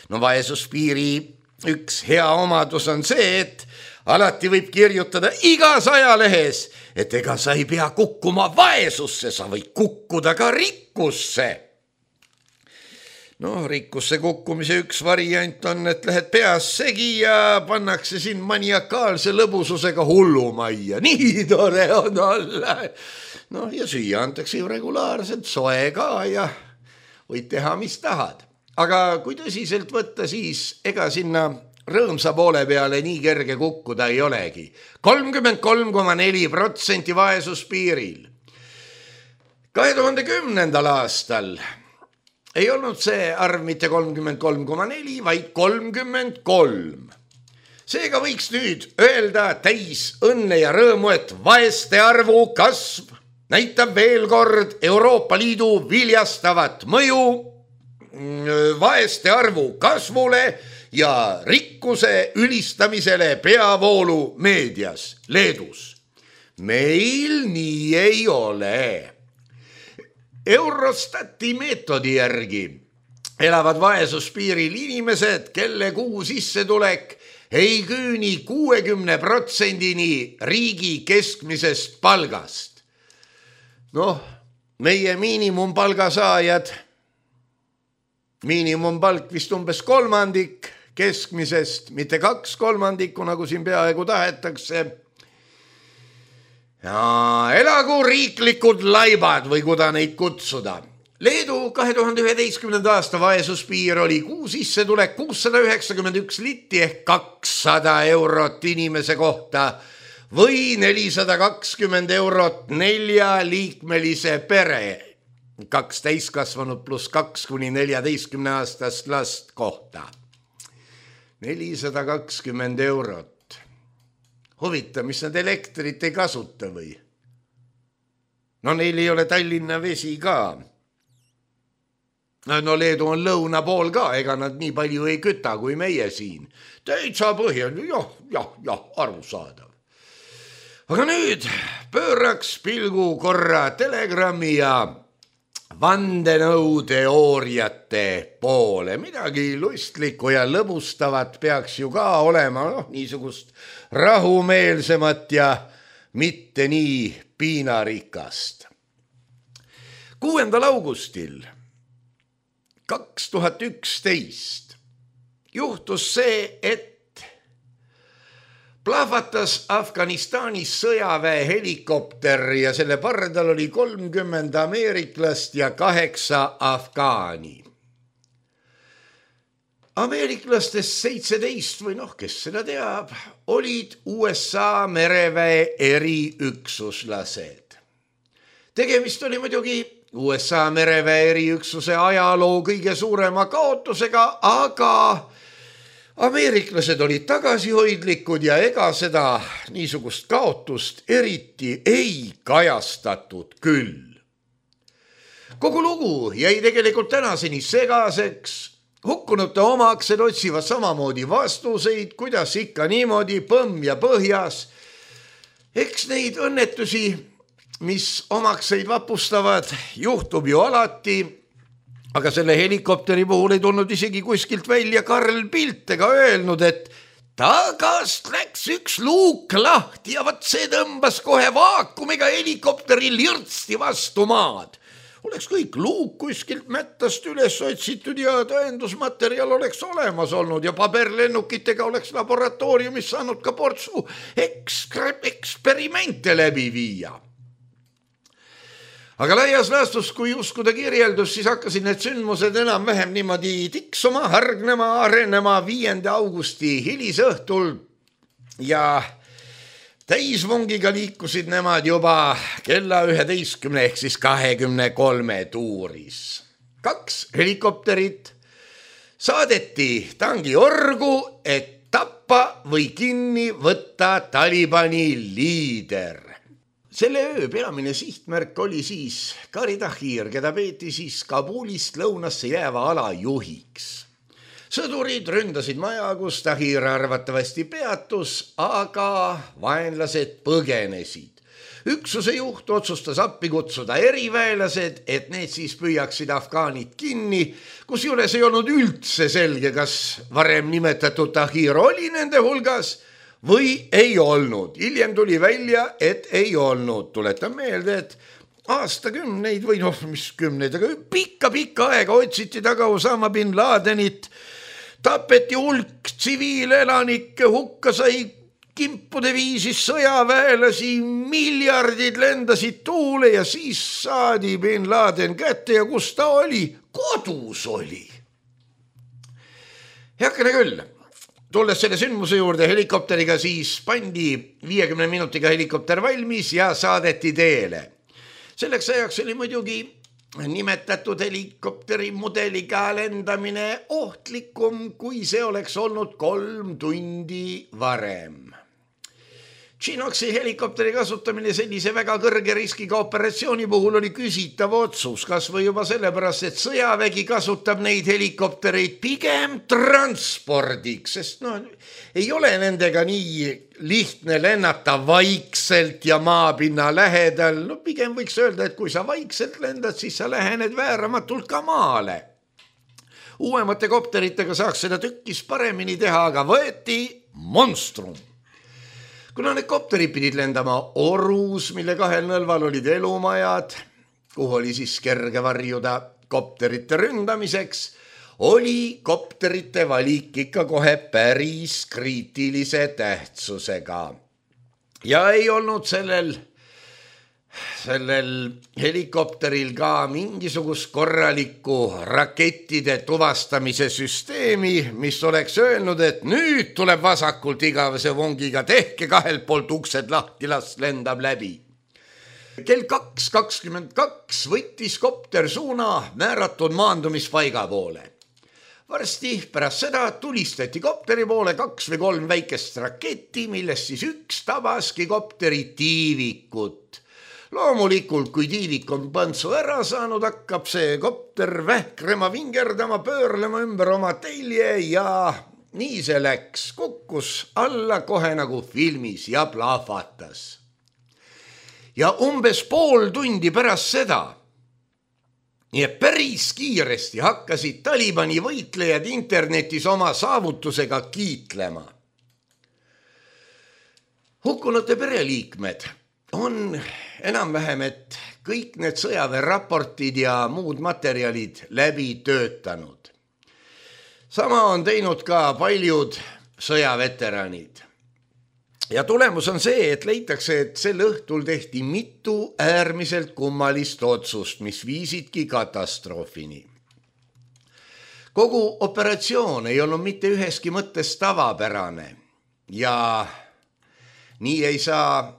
No vaesuspiiri üks hea omadus on see, et alati võib kirjutada igas ajalehes, et ega sa ei pea kukkuma vaesusse, sa võid kukkuda ka rikkusse. No rikkusse kukkumise üks variant on, et lähed peas segi ja pannakse siin maniakaalse lõbususega hullumajja. Nii tore on olla. No ja süüa antakse ju regulaarselt soe ka ja võid teha, mis tahad. Aga kui tõsiselt võtta, siis ega sinna rõõmsa poole peale nii kerge kukkuda ei olegi. kolmkümmend kolm koma neli protsenti vaesuspiiril. kahe tuhande kümnendal aastal ei olnud see arv mitte kolmkümmend kolm koma neli, vaid kolmkümmend kolm. Seega võiks nüüd öelda täis õnne ja rõõmu, et vaeste arvu kasv näitab veel kord Euroopa Liidu viljastavat mõju vaeste arvu kasvule ja rikkuse ülistamisele peavoolu meedias Leedus. Meil nii ei ole. Eurostati meetodi järgi elavad vaesuspiiril inimesed, kelle kuu sissetulek ei küüni kuuekümne protsendini riigi keskmisest palgast. Noh, meie miinimumpalga saajad, miinimumpalk vist umbes kolmandik keskmisest, mitte kaks kolmandikku, nagu siin peaaegu tahetakse. Ja elagu riiklikud laibad või kuda neid kutsuda. Leedu kahe tuhande üheteistkümnenda aasta vaesuspiir oli kuu sissetulek kuussada üheksakümmend üks litti ehk kakssada eurot inimese kohta või nelisada kakskümmend eurot neljaliikmelise pere, kaks täiskasvanud pluss kaks kuni neljateistkümne aastast last kohta. nelisada kakskümmend eurot. Huvita, mis nad elektrit ei kasuta või? No neil ei ole Tallinna vesi ka. No Leedu on lõuna pool ka, ega nad nii palju ei küta kui meie siin. Täitsa põhjal, jah, jah, jah, arusaadav. Aga nüüd pööraks pilgu korra Telegrami ja vandenõuteooriate poole. Midagi lustlikku ja lõbustavat peaks ju ka olema, noh, niisugust rahumeelsemat ja mitte nii piinarikast. kuuendal augustil kaks tuhat üksteist juhtus see, et plahvatas Afganistanis sõjaväe helikopter ja selle pardal oli kolmkümmend ameeriklast ja kaheksa afgaani. Ameeriklastest seitseteist või noh, kes seda teab, olid U S A mereväe eriüksuslased. Tegemist oli muidugi U S A mereväe eriüksuse ajaloo kõige suurema kaotusega, aga ameeriklased olid tagasihoidlikud ja ega seda niisugust kaotust eriti ei kajastatud küll. Kogu lugu jäi tegelikult tänaseni segaseks. Hukkunute omaksed otsivad samamoodi vastuseid, kuidas ikka niimoodi põmm ja põhjas. Eks neid õnnetusi, mis omakseid vapustavad, juhtub ju alati. Aga selle helikopteri puhul ei tulnud isegi kuskilt välja Karl Pilt ega öelnud, et tagast läks üks luuk lahti ja vat see tõmbas kohe vaakumiga helikopteri lirtsti vastu maad. Oleks kõik luuk kuskilt mättast üles otsitud ja tõendusmaterjal oleks olemas olnud ja paberlennukitega oleks laboratooriumis saanud ka portsu ekskre- eksperimente läbi viia. Aga laias laastus, kui uskuda kirjeldus, siis hakkasid need sündmused enam-vähem niimoodi tiksuma, hargnema, arenema viienda augusti hilisõhtul ja täisvongiga liikusid nemad juba kella üheteistkümne ehk siis kahekümne kolme tuuris. Kaks helikopterit saadeti tangiorgu, et tappa või kinni võtta Talibani liider. Selle öö peamine sihtmärk oli siis Qari Tahir, keda peeti siis Kabulist lõunasse jääva ala juhiks. Sõdurid ründasid maja, kus Tahir arvatavasti peatus, aga vaenlased põgenesid. Üksuse juht otsustas appi kutsuda eriväelased, et need siis püüaksid afgaanid kinni, kus juures ei olnud üldse selge, kas varem nimetatud Tahir oli nende hulgas või ei olnud. Hiljem tuli välja, et ei olnud. Tuletan meelde, et aastakümneid või noh, mis kümneid, aga pikka-pikka aega otsiti taga Osama bin Ladenit, tapeti hulk tsiviilelanikke, hukka sai kimpude viisis sõjaväelasi, miljardid lendasid tuule ja siis saadi bin Laden kätte ja kus ta oli? Kodus oli. Heakene küll, tulles selle sündmuse juurde helikopteriga, siis pandi viiekümne minutiga helikopter valmis ja saadeti teele. Selleks ajaks oli muidugi nimetatud helikopteri mudeliga lendamine ohtlikum, kui see oleks olnud kolm tundi varem. Chinoxi helikopteri kasutamine sellise väga kõrge riskiga operatsiooni puhul oli küsitav otsus, kas või juba sellepärast, et sõjavägi kasutab neid helikoptereid pigem transpordiks, sest no, ei ole nendega nii lihtne lennata vaikselt ja maapinna lähedal. No pigem võiks öelda, et kui sa vaikselt lendad, siis sa lähened vääramatult ka maale. Uuemate kopteritega saaks seda tükkis paremini teha, aga võeti monstrum. Kuna need kopterid pidid lendama orus, mille kahel nõlval olid elumajad, kuhu oli siis kerge varjuda kopterite ründamiseks, oli kopterite valik ikka kohe päris kriitilise tähtsusega. Ja ei olnud sellel, sellel helikopteril ka mingisugust korralikku rakettide tuvastamise süsteemi, mis oleks öelnud, et nüüd tuleb vasakult igavese vongiga, tehke kahelt poolt uksed lahti, las lendab läbi. Kell kaks kakskümmend kaks võttis kopter suuna määratud maandumispaiga poole. Varsti pärast seda tulistati kopteri poole kaks või kolm väikest raketti, millest siis üks tabaski kopteri tiivikut. Loomulikult, kui tiivik on pantsu ära saanud, hakkab see kopter vähkrema, vingerdama, pöörlema ümber oma telje ja nii see läks. Kukkus alla kohe nagu filmis ja plahvatas. Ja umbes pool tundi pärast seda, nii et päris kiiresti hakkasid Talibani võitlejad internetis oma saavutusega kiitlema. Hukkunute pereliikmed on enam-vähem, et kõik need sõjaväeraportid ja muud materjalid läbi töötanud. Sama on teinud ka paljud sõjaveteranid. Ja tulemus on see, et leitakse, et sel õhtul tehti mitu äärmiselt kummalist otsust, mis viisidki katastroofini. Kogu operatsioon ei olnud mitte üheski mõttes tavapärane ja nii ei saa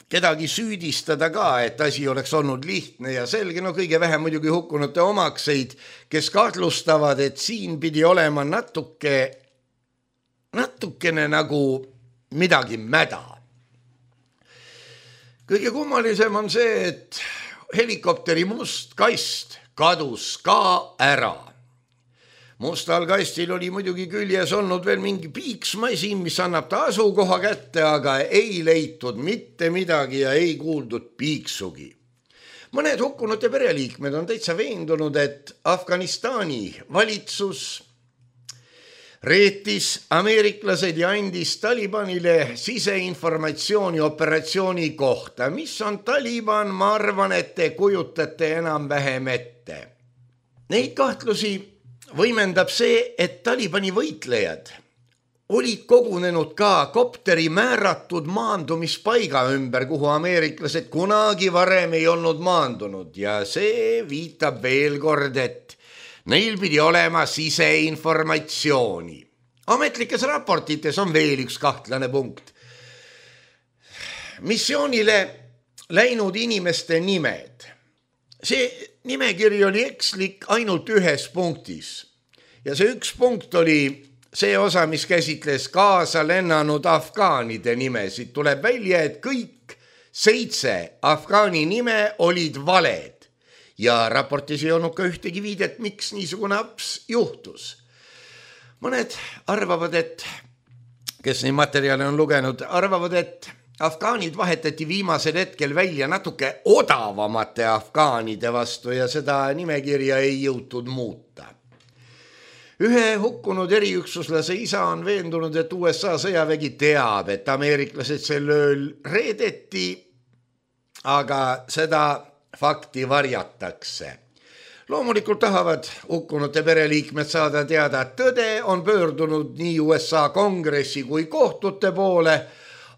kedagi süüdistada ka, et asi oleks olnud lihtne ja selge, no kõige vähem muidugi hukkunute omakseid, kes kahtlustavad, et siin pidi olema natuke, natukene nagu midagi mäda. Kõige kummalisem on see, et helikopteri must kast kadus ka ära. Mustal kastil oli muidugi küljes olnud veel mingi piiksmasin, mis annab ta asukoha kätte, aga ei leitud mitte midagi ja ei kuuldud piiksugi. Mõned hukkunute pereliikmed on täitsa veendunud, et Afganistani valitsus reetis ameeriklased ja andis Talibanile siseinformatsiooni operatsiooni kohta. Mis on Taliban, ma arvan, et te kujutate enam-vähem ette. Neid kahtlusi võimendab see, et Talibani võitlejad olid kogunenud ka kopteri määratud maandumispaiga ümber, kuhu ameeriklased kunagi varem ei olnud maandunud ja see viitab veel kord, et neil pidi olema siseinformatsiooni. Ametlikes raportites on veel üks kahtlane punkt. Missioonile läinud inimeste nimed. See nimekiri oli ekslik ainult ühes punktis. Ja see üks punkt oli see osa, mis käsitles kaasa lennanud afgaanide nimesid. Tuleb välja, et kõik seitse afgaani nime olid valed. Ja raportis ei olnud ka ühtegi viidet, miks niisugune aps juhtus. Mõned arvavad, et, kes neid materjale on lugenud, arvavad, et afgaanid vahetati viimasel hetkel välja natuke odavamate afgaanide vastu ja seda nimekirja ei jõutud muuta. Ühe hukkunud eriüksuslase isa on veendunud, et U S A sõjavägi teab, et ameeriklased sel ööl reedeti, aga seda fakti varjatakse. Loomulikult tahavad hukkunute pereliikmed saada teada, et tõde on pöördunud nii U S A kongressi kui kohtute poole,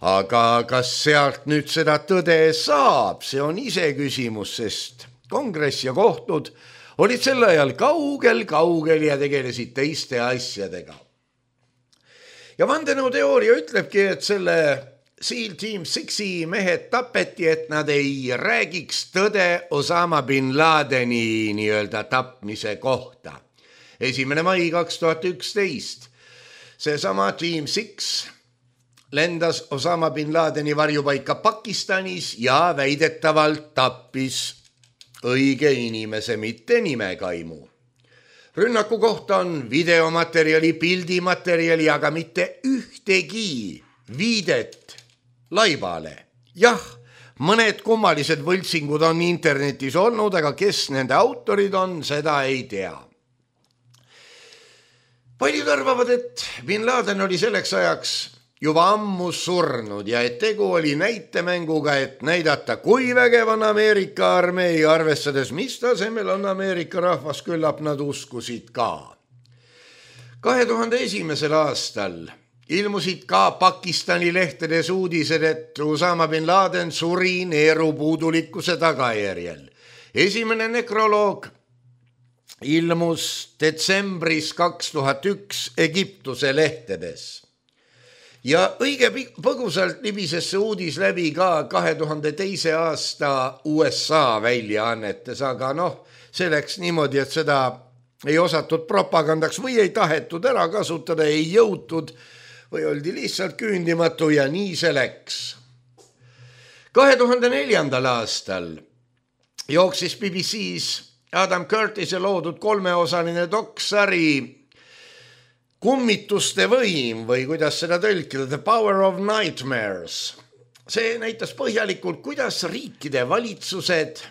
aga kas sealt nüüd seda tõde saab, see on ise küsimus, sest kongress ja kohtud olid sel ajal kaugel, kaugel ja tegelesid teiste asjadega. Ja vandenõuteooria ütlebki, et selle SEAL Team Sixi mehed tapeti, et nad ei räägiks tõde Osama bin Ladeni nii-öelda tapmise kohta. esimene mai kaks tuhat üksteist. Seesama Team Six lendas Osama bin Ladeni varjupaika Pakistanis ja väidetavalt tappis õige inimese, mitte nimekaimu. Rünnaku kohta on videomaterjali, pildimaterjali, aga mitte ühtegi viidet laivale. Jah, mõned kummalised võltsingud on internetis olnud, aga kes nende autorid on, seda ei tea. Paljud arvavad, et bin Laden oli selleks ajaks juba ammu surnud ja et tegu oli näitemänguga, et näidata, kui vägev on Ameerika armee, arvestades, mis tasemel on Ameerika rahvas, küllap nad uskusid ka. kahe tuhande esimesel aastal ilmusid ka Pakistani lehtedes uudised, et Osama bin Laden suri neerupuudulikkuse tagajärjel. Esimene nekroloog ilmus detsembris kaks tuhat üks Egiptuse lehtedes. Ja õige põgusalt libises see uudis läbi ka kahe tuhande teise aasta U S A väljaannetes, aga noh, see läks niimoodi, et seda ei osatud propagandaks või ei tahetud ära kasutada, ei jõutud või oldi lihtsalt küündimatu ja nii see läks. kahe tuhande neljandal aastal jooksis B B C's Adam Curtise loodud kolmeosaline doksari Kummituste võim või kuidas seda tõlkida, The Power of Nightmares. See näitas põhjalikult, kuidas riikide valitsused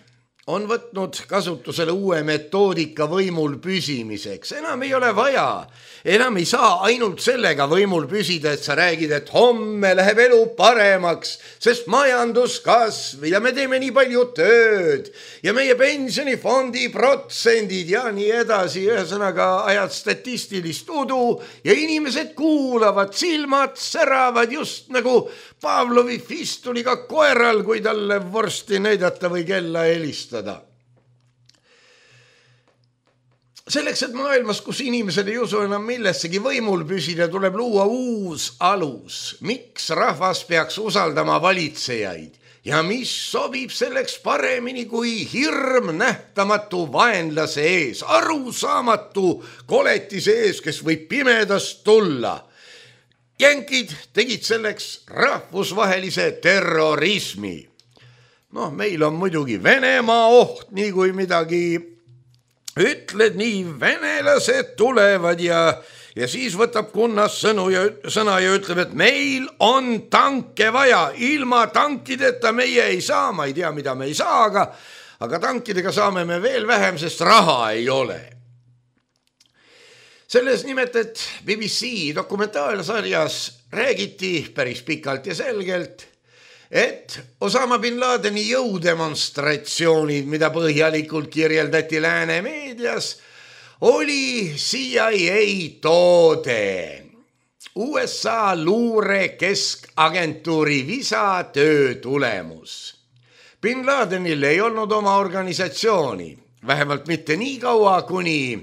on võtnud kasutusele uue metoodika võimul püsimiseks. Enam ei ole vaja, enam ei saa ainult sellega võimul püsida, et sa räägid, et homme läheb elu paremaks, sest majandus kasv ja me teeme nii palju tööd ja meie pensionifondi protsendid ja nii edasi. Ühesõnaga ajad statistilist udu ja inimesed kuulavad, silmad säravad just nagu Pavlovi fistuliga koeral, kui talle vorsti näidata või kella helistada. Selleks, et maailmas, kus inimesed ei usu enam millessegi võimul püsida, tuleb luua uus alus. Miks rahvas peaks usaldama valitsejaid ja mis sobib selleks paremini kui hirm nähtamatu vaenlase ees, arusaamatu koletise ees, kes võib pimedast tulla. Jänkid tegid selleks rahvusvahelise terrorismi. Noh, meil on muidugi Venemaa oht, nii kui midagi ütled, nii venelased tulevad ja, ja siis võtab kunnas sõnu ja, sõna ja ütleb, et meil on tanke vaja, ilma tankideta meie ei saa, ma ei tea, mida me ei saa, aga, aga tankidega saame me veel vähem, sest raha ei ole. Selles nimelt, et B B C dokumentaalsarjas räägiti päris pikalt ja selgelt, et Osama bin Ladeni jõudemonstratsioonid, mida põhjalikult kirjeldati lääne meedias, oli C I A toode. U S A luure keskagentuuri visa töö tulemus. Bin Ladenil ei olnud oma organisatsiooni, vähemalt mitte nii kaua, kuni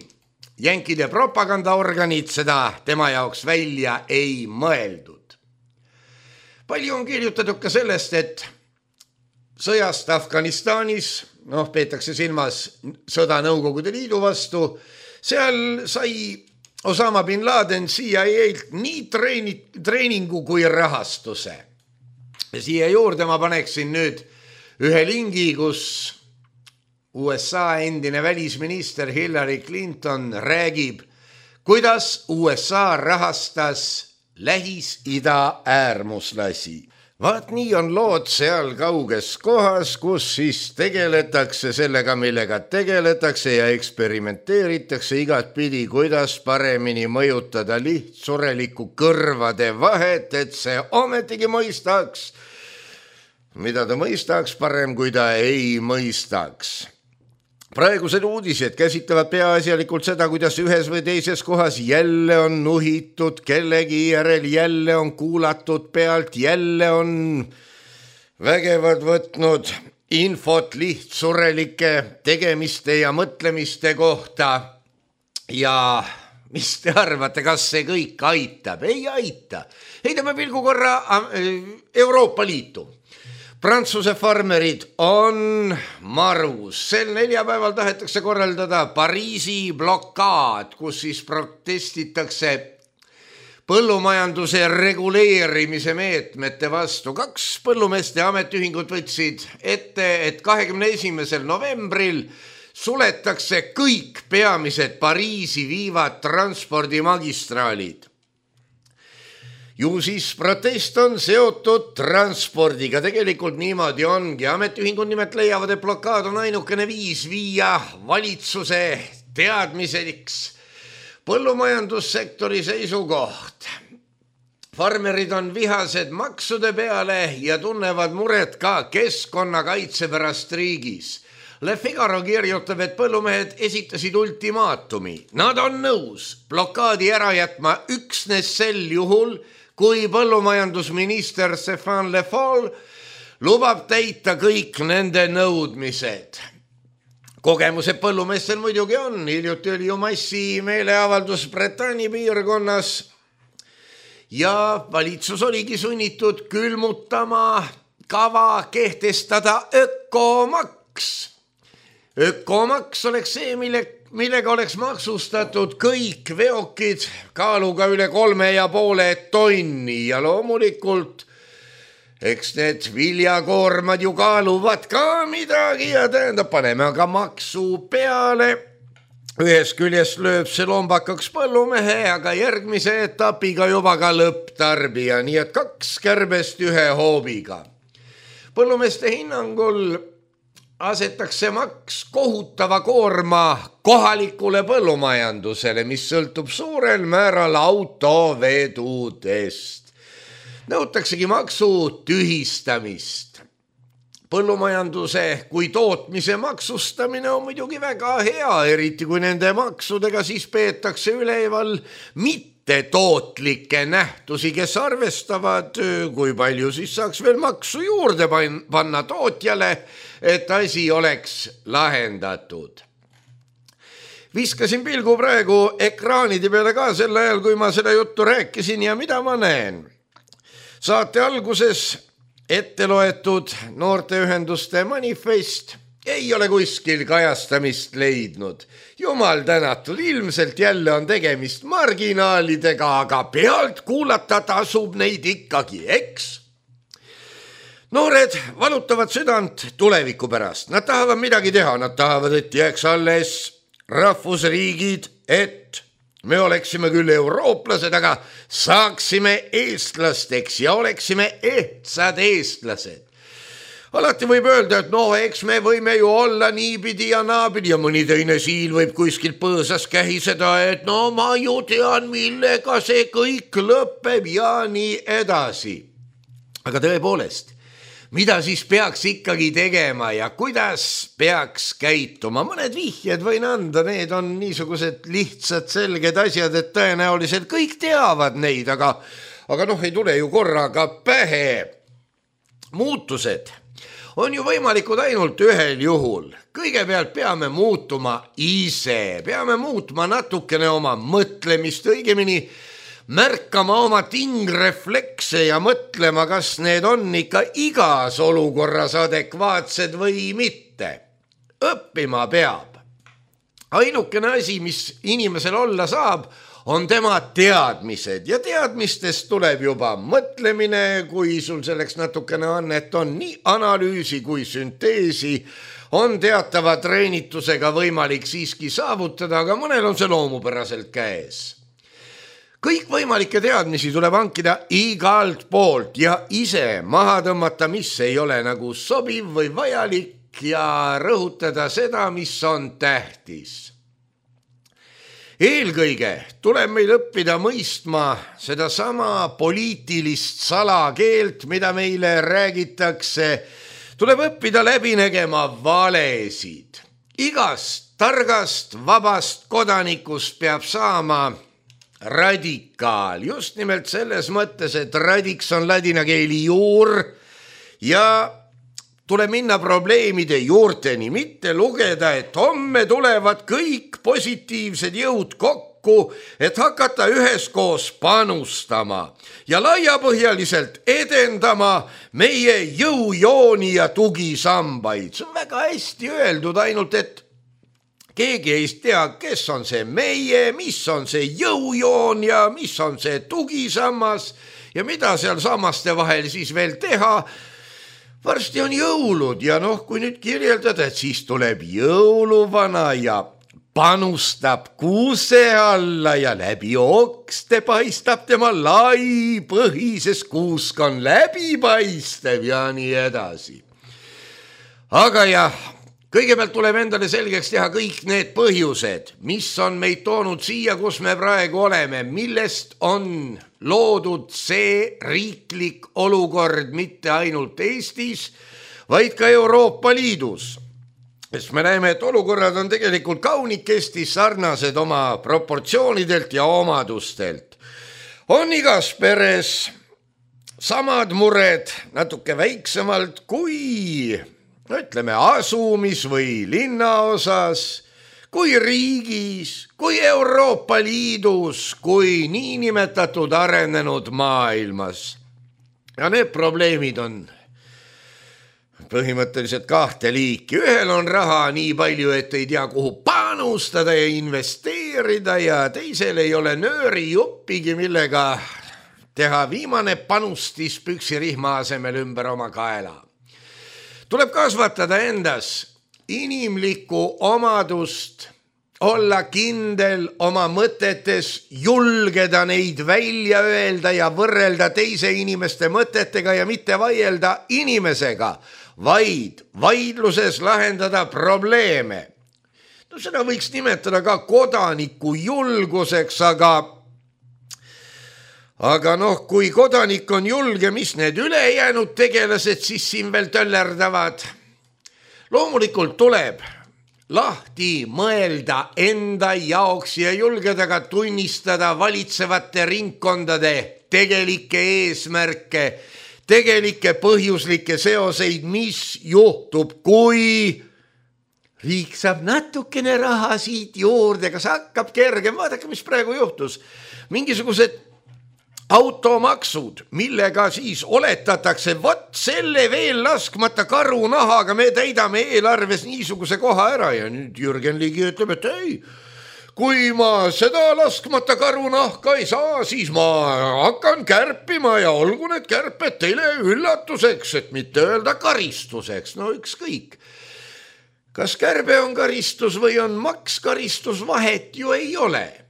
jänkide propagandaorganid seda tema jaoks välja ei mõeldud. Palju on kirjutatud ka sellest, et sõjast Afganistanis, noh, peetakse silmas sõda Nõukogude Liidu vastu, seal sai Osama bin Laden C I A-lt nii treeni, treeningu kui rahastuse. Ja siia juurde ma paneksin nüüd ühe lingi, kus U S A endine välisminister Hillary Clinton räägib, kuidas U S A rahastas Lähis-Ida äärmuslasi. Vaat nii on lood seal kauges kohas, kus siis tegeletakse sellega, millega tegeletakse ja eksperimenteeritakse igat pidi, kuidas paremini mõjutada lihtsurelikku kõrvade vahet, et see ometigi mõistaks, mida ta mõistaks parem, kui ta ei mõistaks. Praegused uudised käsitlevad peaasjalikult seda, kuidas ühes või teises kohas jälle on nuhitud, kellegi järel jälle on kuulatud pealt, jälle on vägevad võtnud infot lihtsurelike tegemiste ja mõtlemiste kohta. Ja mis te arvate, kas see kõik aitab? Ei aita. Heidame pilgu korra Euroopa Liitu. Prantsuse farmerid on marus. Sel neljapäeval tahetakse korraldada Pariisi blokaad, kus siis protestitakse põllumajanduse reguleerimise meetmete vastu. Kaks põllumeeste ametiühingut võtsid ette, et kahekümne esimesel novembril suletakse kõik peamised Pariisi viivad transpordimagistraalid. Ju siis protest on seotud transpordiga. Tegelikult niimoodi ongi. Ametiühingud nimelt leiavad, et blokaad on ainukene viis viia valitsuse teadmiseks põllumajandussektori seisukoht. Farmerid on vihased maksude peale ja tunnevad muret ka keskkonnakaitse pärast riigis. Le Figaro kirjutab, et põllumehed esitasid ultimaatumi. Nad on nõus blokaadi ära jätma üksnes sel juhul, kui põllumajandusminister Stéphane Le Foll lubab täita kõik nende nõudmised. Kogemused põllumeestel muidugi on. Hiljuti oli ju massi meeleavaldus Bretagne piirkonnas ja valitsus oligi sunnitud külmutama kava kehtestada ökomaks. Ökomaks oleks see, mille millega oleks maksustatud kõik veokid kaaluga üle kolme ja poole tonni ja loomulikult eks need viljakoormad ju kaaluvad ka midagi ja tähendab, paneme aga maksu peale. Ühes küljest lööb see lombakaks põllumehe, aga järgmise etapiga juba ka lõpptarbija, nii et kaks kärbest ühe hoobiga. Põllumeeste hinnangul asetakse maks kohutava koorma kohalikule põllumajandusele, mis sõltub suurel määral autovedudest. Nõutaksegi maksu tühistamist. Põllumajanduse kui tootmise maksustamine on muidugi väga hea, eriti kui nende maksudega siis peetakse üleval mitte tootlikke nähtusi, kes arvestavad, kui palju siis saaks veel maksu juurde panna tootjale, et asi oleks lahendatud. Viskasin pilgu praegu ekraanide peale ka sel ajal, kui ma seda juttu rääkisin ja mida ma näen. Saate alguses ette loetud noorteühenduste manifest ei ole kuskil kajastamist leidnud. Jumal tänatud, ilmselt jälle on tegemist marginaalidega, aga pealt kuulata tasub neid ikkagi, eks? Noored valutavad südant tuleviku pärast. Nad tahavad midagi teha, nad tahavad, et jääks alles rahvusriigid, et me oleksime küll eurooplased, aga saaksime eestlasteks ja oleksime ehtsad eestlased. Alati võib öelda, et no eks me võime ju olla niipidi ja naapidi ja mõni teine siil võib kuskilt põõsas kähiseda, et no ma ju tean, millega see kõik lõpeb ja nii edasi. Aga tõepoolest, mida siis peaks ikkagi tegema ja kuidas peaks käituma? Mõned vihjed võin anda, need on niisugused lihtsad, selged asjad, et tõenäoliselt kõik teavad neid, aga, aga noh, ei tule ju korraga pähe. Muutused on ju võimalikud ainult ühel juhul. Kõigepealt peame muutuma ise, peame muutma natukene oma mõtlemist, õigemini märkama oma tingreflekse ja mõtlema, kas need on ikka igas olukorras adekvaatsed või mitte. Õppima peab. Ainukene asi, mis inimesel olla saab, on tema teadmised ja teadmistest tuleb juba mõtlemine, kui sul selleks natukene on, et on nii analüüsi kui sünteesi, on teatava treenitusega võimalik siiski saavutada, aga mõnel on see loomupäraselt käes. Kõik võimalikke teadmisi tuleb hankida igalt poolt ja ise maha tõmmata, mis ei ole nagu sobiv või vajalik, ja rõhutada seda, mis on tähtis. Eelkõige tuleb meil õppida mõistma seda sama poliitilist salakeelt, mida meile räägitakse. Tuleb õppida läbi nägema valesid. Igast targast, vabast kodanikust peab saama radikaal. Just nimelt selles mõttes, et radiks on ladina keeli juur ja tuleb minna probleemide juurteni, mitte lugeda, et homme tulevad kõik positiivsed jõud kokku, et hakata üheskoos panustama ja laiapõhjaliselt edendama meie jõujooni ja tugisambaid. See on väga hästi öeldud, ainult et keegi ei tea, kes on see meie, mis on see jõujoon ja mis on see tugisammas ja mida seal sammaste vahel siis veel teha. Varsti on jõulud ja noh, kui nüüd kirjeldada, et siis tuleb jõuluvana ja panustab kuuse alla ja läbi okste paistab tema lai põhises kuusk on läbipaistev ja nii edasi. Aga jah, kõigepealt tuleb endale selgeks teha kõik need põhjused, mis on meid toonud siia, kus me praegu oleme, millest on loodud see riiklik olukord mitte ainult Eestis, vaid ka Euroopa Liidus. Sest me näeme, et olukorrad on tegelikult kaunikesti sarnased oma proportsioonidelt ja omadustelt. On igas peres samad mured natuke väiksemalt kui, ütleme, asumis või linnaosas, kui riigis, kui Euroopa Liidus, kui niinimetatud arenenud maailmas. Ja need probleemid on põhimõtteliselt kahte liiki. Ühel on raha nii palju, et ei tea, kuhu panustada ja investeerida ja teisel ei ole nööri juppigi, millega teha viimane panustis püksirihma asemel ümber oma kaela. Tuleb kasvatada endas inimlikku omadust, olla kindel oma mõtetes, julgeda neid välja öelda ja võrrelda teise inimeste mõtetega ja mitte vaielda inimesega, vaid vaidluses lahendada probleeme. No seda võiks nimetada ka kodaniku julguseks, aga Aga noh, kui kodanik on julge, mis need ülejäänud tegelased siis siin veel töllerdavad? Loomulikult tuleb lahti mõelda enda jaoks ja julgeda ka tunnistada valitsevate ringkondade tegelikke eesmärke, tegelikke põhjuslikke seoseid, mis juhtub, kui riik saab natukene raha siit juurde, kas hakkab kergem, vaadake, mis praegu juhtus. Mingisugused automaksud, millega siis oletatakse, vot selle veel laskmata karunahaga me täidame eelarves niisuguse koha ära ja nüüd Jürgen Ligi ütleb, et ei, kui ma seda laskmata karunahka ei saa, siis ma hakkan kärpima ja olgu need kärped teile üllatuseks, et mitte öelda karistuseks, no ükskõik. Kas kärbe on karistus või on maks karistus, vahet ju ei ole.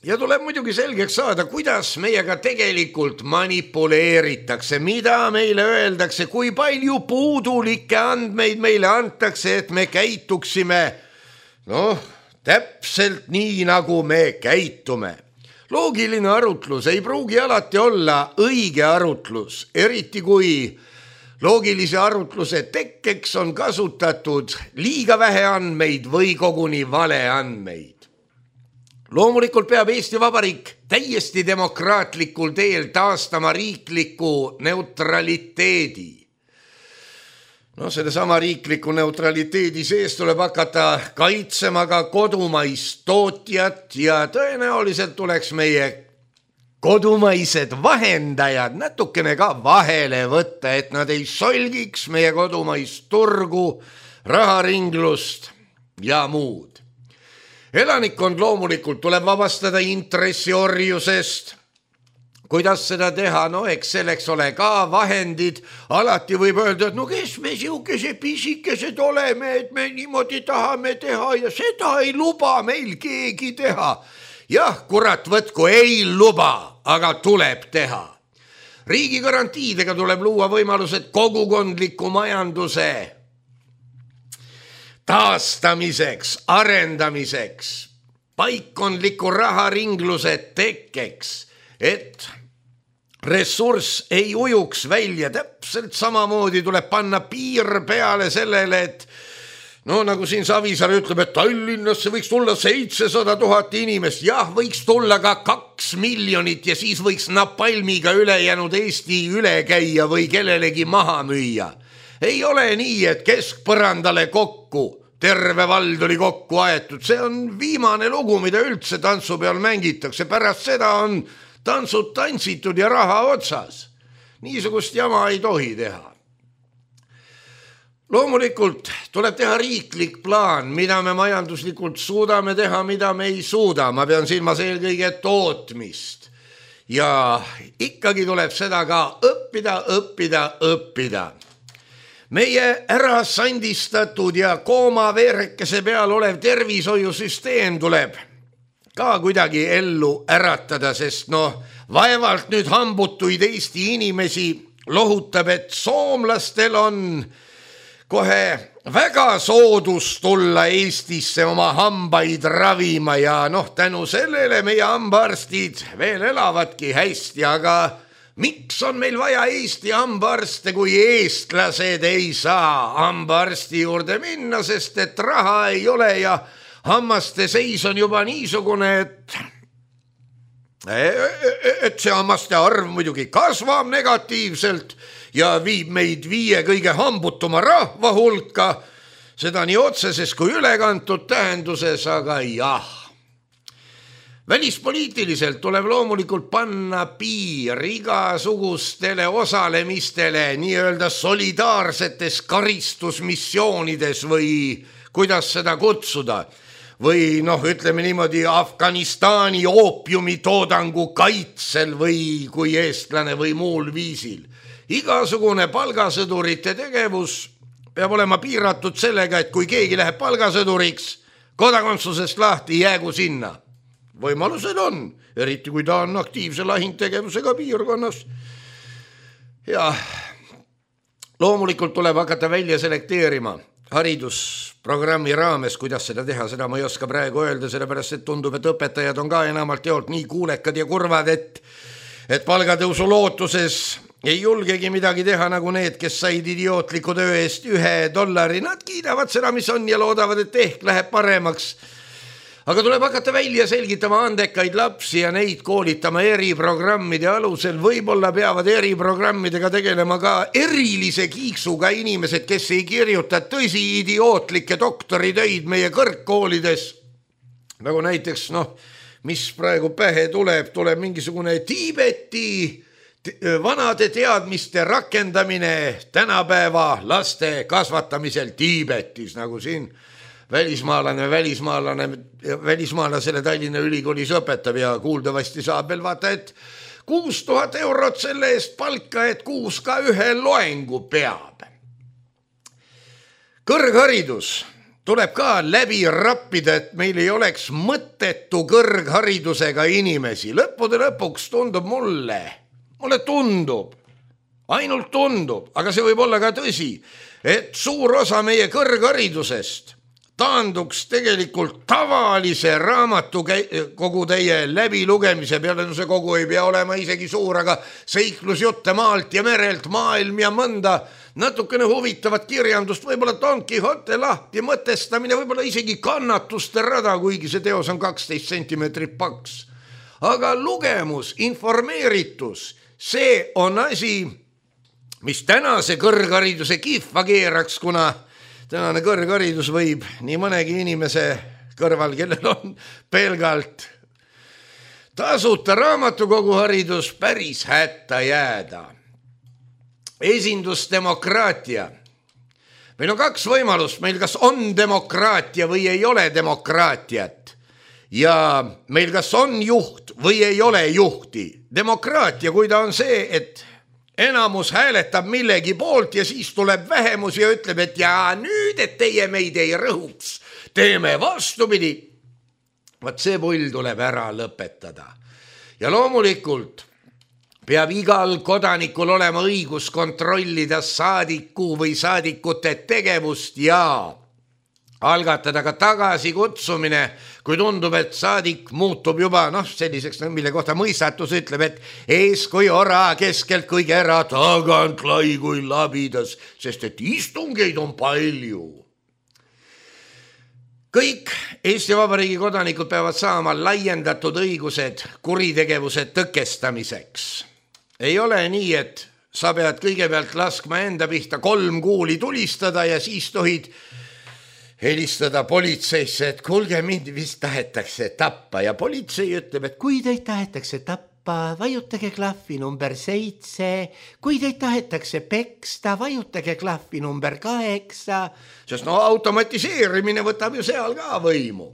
Ja tuleb muidugi selgeks saada, kuidas meiega tegelikult manipuleeritakse, mida meile öeldakse, kui palju puudulikke andmeid meile antakse, et me käituksime, noh, täpselt nii, nagu me käitume. Loogiline arutlus ei pruugi alati olla õige arutlus, eriti kui loogilise arutluse tekkeks on kasutatud liiga vähe andmeid või koguni vale andmeid. Loomulikult peab Eesti Vabariik täiesti demokraatlikul teel taastama riikliku neutraliteedi. No selle sama riikliku neutraliteedi sees tuleb hakata kaitsema ka kodumaist tootjat ja tõenäoliselt tuleks meie kodumaised vahendajad natukene ka vahele võtta, et nad ei solgiks meie kodumaist turgu, raharinglust ja muud. Elanikkond loomulikult tuleb vabastada intressiorjusest. Kuidas seda teha? No eks selleks ole ka vahendid. Alati võib öelda, et no kes me siukese pisikesed oleme, et me niimoodi tahame teha ja seda ei luba meil keegi teha. Jah, kurat võtku, ei luba, aga tuleb teha. Riigi garantiidega tuleb luua võimalused kogukondliku majanduse taastamiseks, arendamiseks, paikkondliku raharingluse tekkeks, et ressurss ei ujuks välja. Täpselt samamoodi tuleb panna piir peale sellele, et no nagu siin Savisaar ütleb, et Tallinnasse võiks tulla seitsesada tuhat inimest. Jah, võiks tulla ka kaks miljonit ja siis võiks napalmiga ülejäänud Eesti üle käia või kellelegi maha müüa. Ei ole nii, et keskpõrandale kokku, terve vald oli kokku aetud. See on viimane lugu, mida üldse tantsu peal mängitakse. Pärast seda on tantsud tantsitud ja raha otsas. Niisugust jama ei tohi teha. Loomulikult tuleb teha riiklik plaan, mida me majanduslikult suudame teha, mida me ei suuda. Ma pean silmas eelkõige tootmist. Ja ikkagi tuleb seda ka õppida, õppida, õppida. Meie ära sandistatud ja koomaveerekese peal olev tervishoiusüsteem tuleb ka kuidagi ellu äratada, sest noh, vaevalt nüüd hambutuid Eesti inimesi lohutab, et soomlastel on kohe väga soodus tulla Eestisse oma hambaid ravima ja noh, tänu sellele meie hambaarstid veel elavadki hästi, aga miks on meil vaja Eesti hambaarste, kui eestlased ei saa hambaarsti juurde minna, sest et raha ei ole ja hammaste seis on juba niisugune, et, et see hammaste arv muidugi kasvab negatiivselt ja viib meid viie kõige hambutuma rahva hulka, seda nii otseses kui ülekantud tähenduses, aga jah. Välispoliitiliselt tuleb loomulikult panna piir igasugustele osalemistele nii-öelda solidaarsetes karistusmissioonides või kuidas seda kutsuda. Või noh, ütleme niimoodi Afganistani oopiumi toodangu kaitsel või kui eestlane või muul viisil. Igasugune palgasõdurite tegevus peab olema piiratud sellega, et kui keegi läheb palgasõduriks, kodakondsusest lahti jäägu sinna. Võimalused on, eriti kui ta on aktiivse lahingtegevusega piirkonnas. Ja loomulikult tuleb hakata välja selekteerima haridusprogrammi raames, kuidas seda teha, seda ma ei oska praegu öelda, sellepärast et tundub, et õpetajad on ka enamalt jaolt nii kuulekad ja kurvad, et, et palgatõusu lootuses ei julgegi midagi teha nagu need, kes said idiootliku töö eest ühe dollari. Nad kiidavad seda, mis on ja loodavad, et ehk läheb paremaks. Aga tuleb hakata välja selgitama andekaid lapsi ja neid koolitama eriprogrammide alusel. Võib-olla peavad eriprogrammidega tegelema ka erilise kiiksuga inimesed, kes ei kirjuta tõsi idiootlikke doktoritöid meie kõrgkoolides. Nagu näiteks, noh, mis praegu pähe tuleb, tuleb mingisugune Tiibeti vanade teadmiste rakendamine tänapäeva laste kasvatamisel Tiibetis, nagu siin välismaalane, välismaalane, välismaalasele Tallinna Ülikoolis õpetab ja kuuldavasti saab veel vaata, et kuus tuhat eurot selle eest palka, et kuus ka ühe loengu peab. Kõrgharidus tuleb ka läbi rappida, et meil ei oleks mõttetu kõrgharidusega inimesi. Lõppude lõpuks tundub mulle, mulle tundub, ainult tundub, aga see võib olla ka tõsi, et suur osa meie kõrgharidusest taanduks tegelikult tavalise raamatu kogu teie läbilugemise peale. No see kogu ei pea olema isegi suur, aga seiklusjutte maalt ja merelt, maailm ja mõnda natukene huvitavat kirjandust, võib-olla Don Quixote lahti mõtestamine, võib-olla isegi kannatuste rada, kuigi see teos on kaksteist sentimeetrit paks. Aga lugemus, informeeritus, see on asi, mis tänase kõrghariduse kihva keeraks, kuna tänane kõrgharidus võib nii mõnegi inimese kõrval, kellel on pelgalt tasuta raamatukoguharidus, päris hätta jääda. Esindusdemokraatia. Meil on kaks võimalust, meil kas on demokraatia või ei ole demokraatiat. Ja meil kas on juht või ei ole juhti. Demokraatia, kui ta on see, et enamus hääletab millegi poolt ja siis tuleb vähemus ja ütleb, et ja nüüd, et teie meid ei rõhuks, teeme vastupidi. Vaat see pull tuleb ära lõpetada. Ja loomulikult peab igal kodanikul olema õigus kontrollida saadiku või saadikute tegevust ja algatada ka tagasikutsumine, kui tundub, et saadik muutub juba noh, selliseks, mille kohta mõistatus ütleb, et ees kui ora, keskelt kui kera, tagant lai kui labidas, sest et istungeid on palju. Kõik Eesti Vabariigi kodanikud peavad saama laiendatud õigused kuritegevuse tõkestamiseks. Ei ole nii, et sa pead kõigepealt laskma enda pihta kolm kuuli tulistada ja siis tohid helistada politseisse, et kuulge, mind vist tahetakse tappa ja politsei ütleb, et kui teid tahetakse tappa, vajutage klahvi number seitse, kui teid tahetakse peksta, vajutage klahvi number kaheksa, sest no automatiseerimine võtab ju seal ka võimu.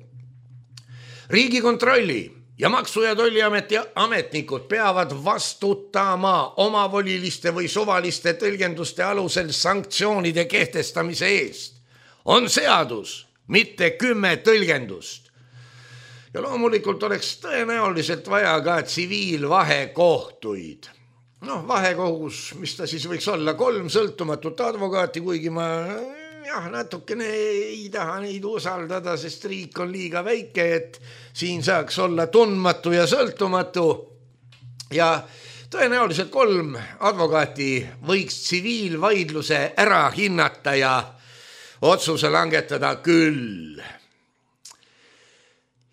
Riigikontrolli ja Maksu- ja Tolliameti ametnikud peavad vastutama omavoliliste või suvaliste tõlgenduste alusel sanktsioonide kehtestamise eest. On seadus, mitte kümme tõlgendust. Ja loomulikult oleks tõenäoliselt vaja ka tsiviilvahekohtuid. Noh, vahekohus, mis ta siis võiks olla, kolm sõltumatut advokaati, kuigi ma jah, natukene ei taha neid usaldada, sest riik on liiga väike, et siin saaks olla tundmatu ja sõltumatu. Ja tõenäoliselt kolm advokaati võiks tsiviilvaidluse ära hinnata ja otsuse langetada küll.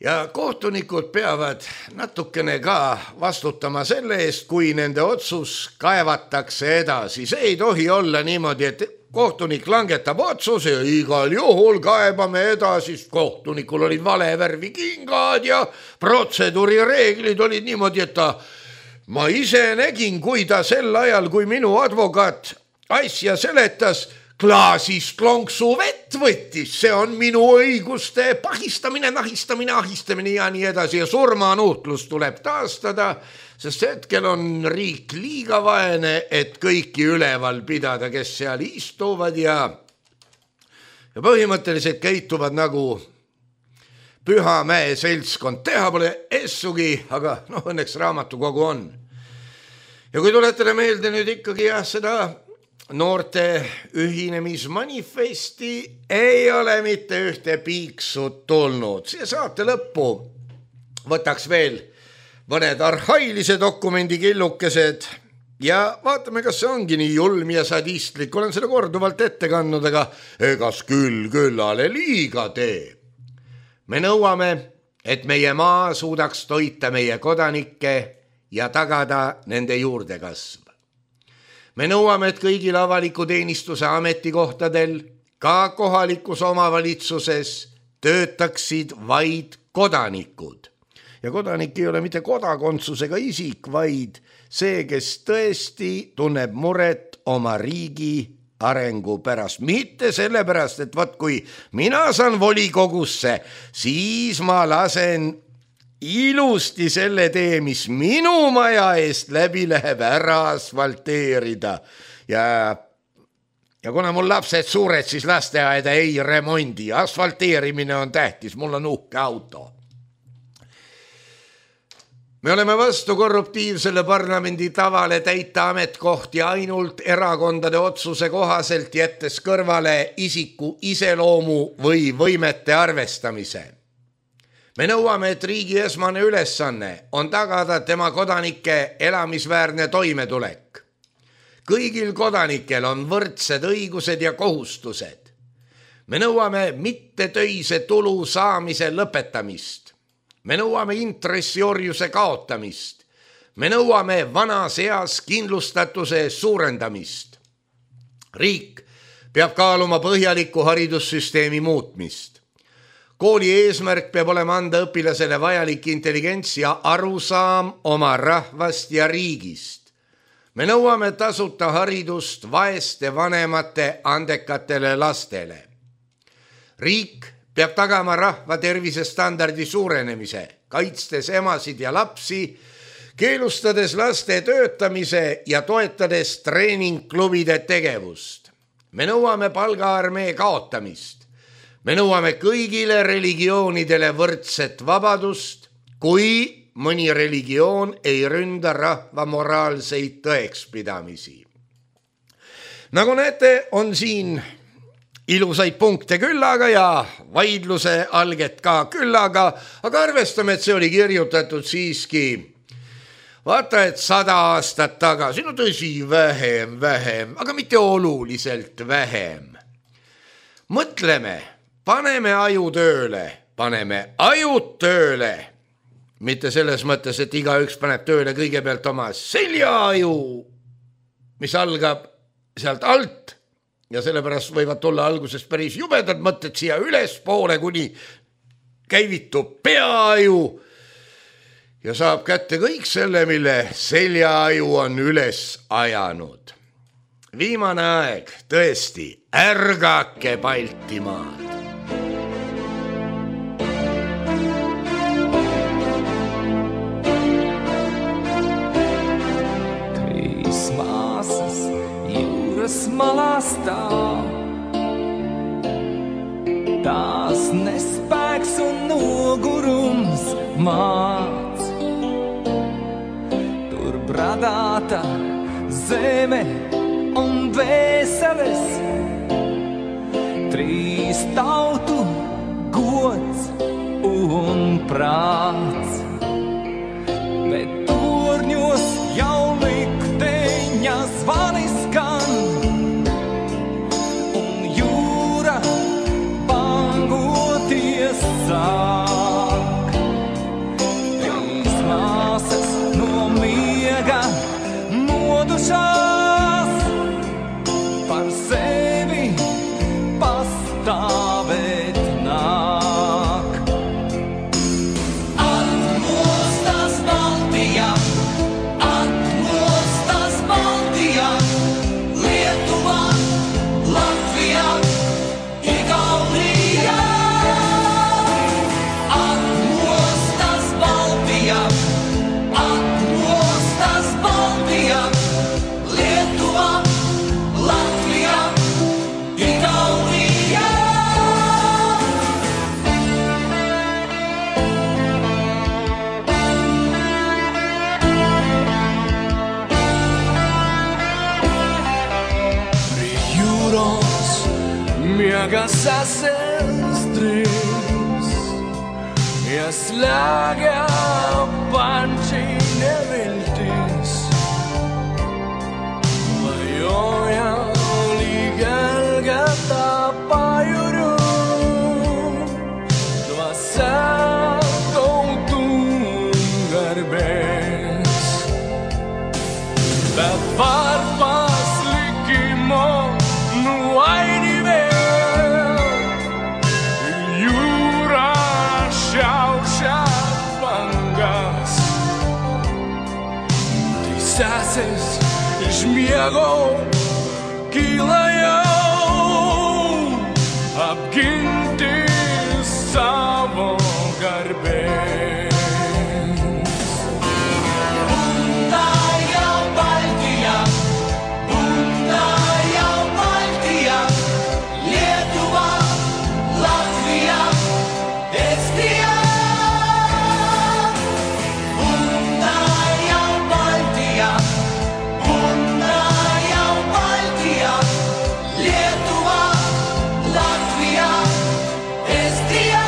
Ja kohtunikud peavad natukene ka vastutama selle eest, kui nende otsus kaevatakse edasi. See ei tohi olla niimoodi, et kohtunik langetab otsuse ja igal juhul kaebame edasi, sest kohtunikul olid vale värvi kingad ja protseduurireeglid olid niimoodi, et ta, ma ise nägin, kui ta sel ajal, kui minu advokaat asja seletas, klaasist lonksu vett võttis, see on minu õiguste pahistamine, nahistamine, ahistamine ja nii edasi ja surmanuhtlus tuleb taastada, sest hetkel on riik liiga vaene, et kõiki üleval pidada, kes seal istuvad ja, ja põhimõtteliselt käituvad nagu Pühamäe seltskond. Teha pole essugi, aga noh, õnneks raamatukogu on. Ja kui tuletada meelde nüüd ikkagi jah, seda noorte ühinemismanifesti ei ole mitte ühte piiksut tulnud. See saate lõppu võtaks veel mõned arhailise dokumendi killukesed ja vaatame, kas see ongi nii julm ja sadistlik. Olen seda korduvalt ette kandnud, aga egas küll küllale liiga tee. Me nõuame, et meie maa suudaks toita meie kodanikke ja tagada nende juurdekasv. Me nõuame, et kõigil avaliku teenistuse ametikohtadel, ka kohalikus omavalitsuses, töötaksid vaid kodanikud. Ja kodanik ei ole mitte kodakondsusega isik, vaid see, kes tõesti tunneb muret oma riigi arengu pärast. Mitte sellepärast, et vaat kui mina saan volikogusse, siis ma lasen ilusti selle tee, mis minu maja eest läbi läheb, ära asfalteerida. Ja, ja kuna mul lapsed suured, siis lasteaeda ei remondi. Asfalteerimine on tähtis, mul on uhke auto. Me oleme vastu korruptiivsele parlamendi tavale täita ametkohti ainult erakondade otsuse kohaselt, jättes kõrvale isiku iseloomu või võimete arvestamise. Me nõuame, et riigi esmane ülesanne on tagada tema kodanike elamisväärne toimetulek. Kõigil kodanikel on võrdsed õigused ja kohustused. Me nõuame mittetöise tulu saamise lõpetamist. Me nõuame intressiorjuse kaotamist. Me nõuame vanas eas kindlustatuse suurendamist. Riik peab kaaluma põhjaliku haridussüsteemi muutmist. Kooli eesmärk peab olema anda õpilasele vajalik intelligents ja arusaam oma rahvast ja riigist. Me nõuame tasuta haridust vaeste vanemate andekatele lastele. Riik peab tagama rahva tervisestandardi suurenemise, kaitstes emasid ja lapsi, keelustades laste töötamise ja toetades treeningklubide tegevust. Me nõuame palgaarmee kaotamist. Me nõuame kõigile religioonidele võrdset vabadust, kui mõni religioon ei ründa rahva moraalseid tõekspidamisi. Nagu näete, on siin ilusaid punkte küllaga ja vaidluse alget ka küllaga, aga arvestame, et see oli kirjutatud siiski vaata, et sada aastat tagasi, no tõsi, vähem, vähem, aga mitte oluliselt vähem. Mõtleme, paneme aju tööle, paneme ajud tööle. Mitte selles mõttes, et igaüks paneb tööle kõigepealt oma seljaaju, mis algab sealt alt ja sellepärast võivad tulla alguses päris jubedad mõtted siia ülespoole, kuni käivitub peaaju ja saab kätte kõik selle, mille seljaaju on üles ajanud. Viimane aeg, tõesti, ärgake Baltimaad. Krismaasas juures malastaa. Tās nespēks un nogurums māc. Tur bradāta zeme un vēseles. Trīs tautu gods un prāts. Bet torņos jau likteņa zvani skan. Un jūra bangoties sāk. Trīs māsas no miega modušās. Par sevi pastāvēt nāk. Atmostas Baltijā, atmostas Baltijā, Lietuvā, Latvijā, Igaunijā. Atmostas Baltijā, atmostas Baltijā, Lietuvā, Latvijā, Igaunijā. Prie jūros miega sasēstrīs, ieslēgā panči neviltīs. Vajoja līgelgatā pajuru, no sākautu garbēs. Bet par paslikimo nu aini vēl, jūrā šaušā vangas. Tai sesės žmiego kilajau apginti savo garbės. Bunda jau Baltija, bunda jau Baltija, Lietuva, Latvija, Estija. Bunda jau Baltija, bunda jau Baltija, Lietuva, Latvija, Estija.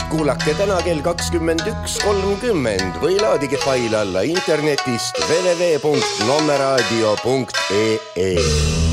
kuulake täna kell kakskümmend üks kolmkümmend või laadige fail alla internetist w w w punkt nommeraadio punkt e e.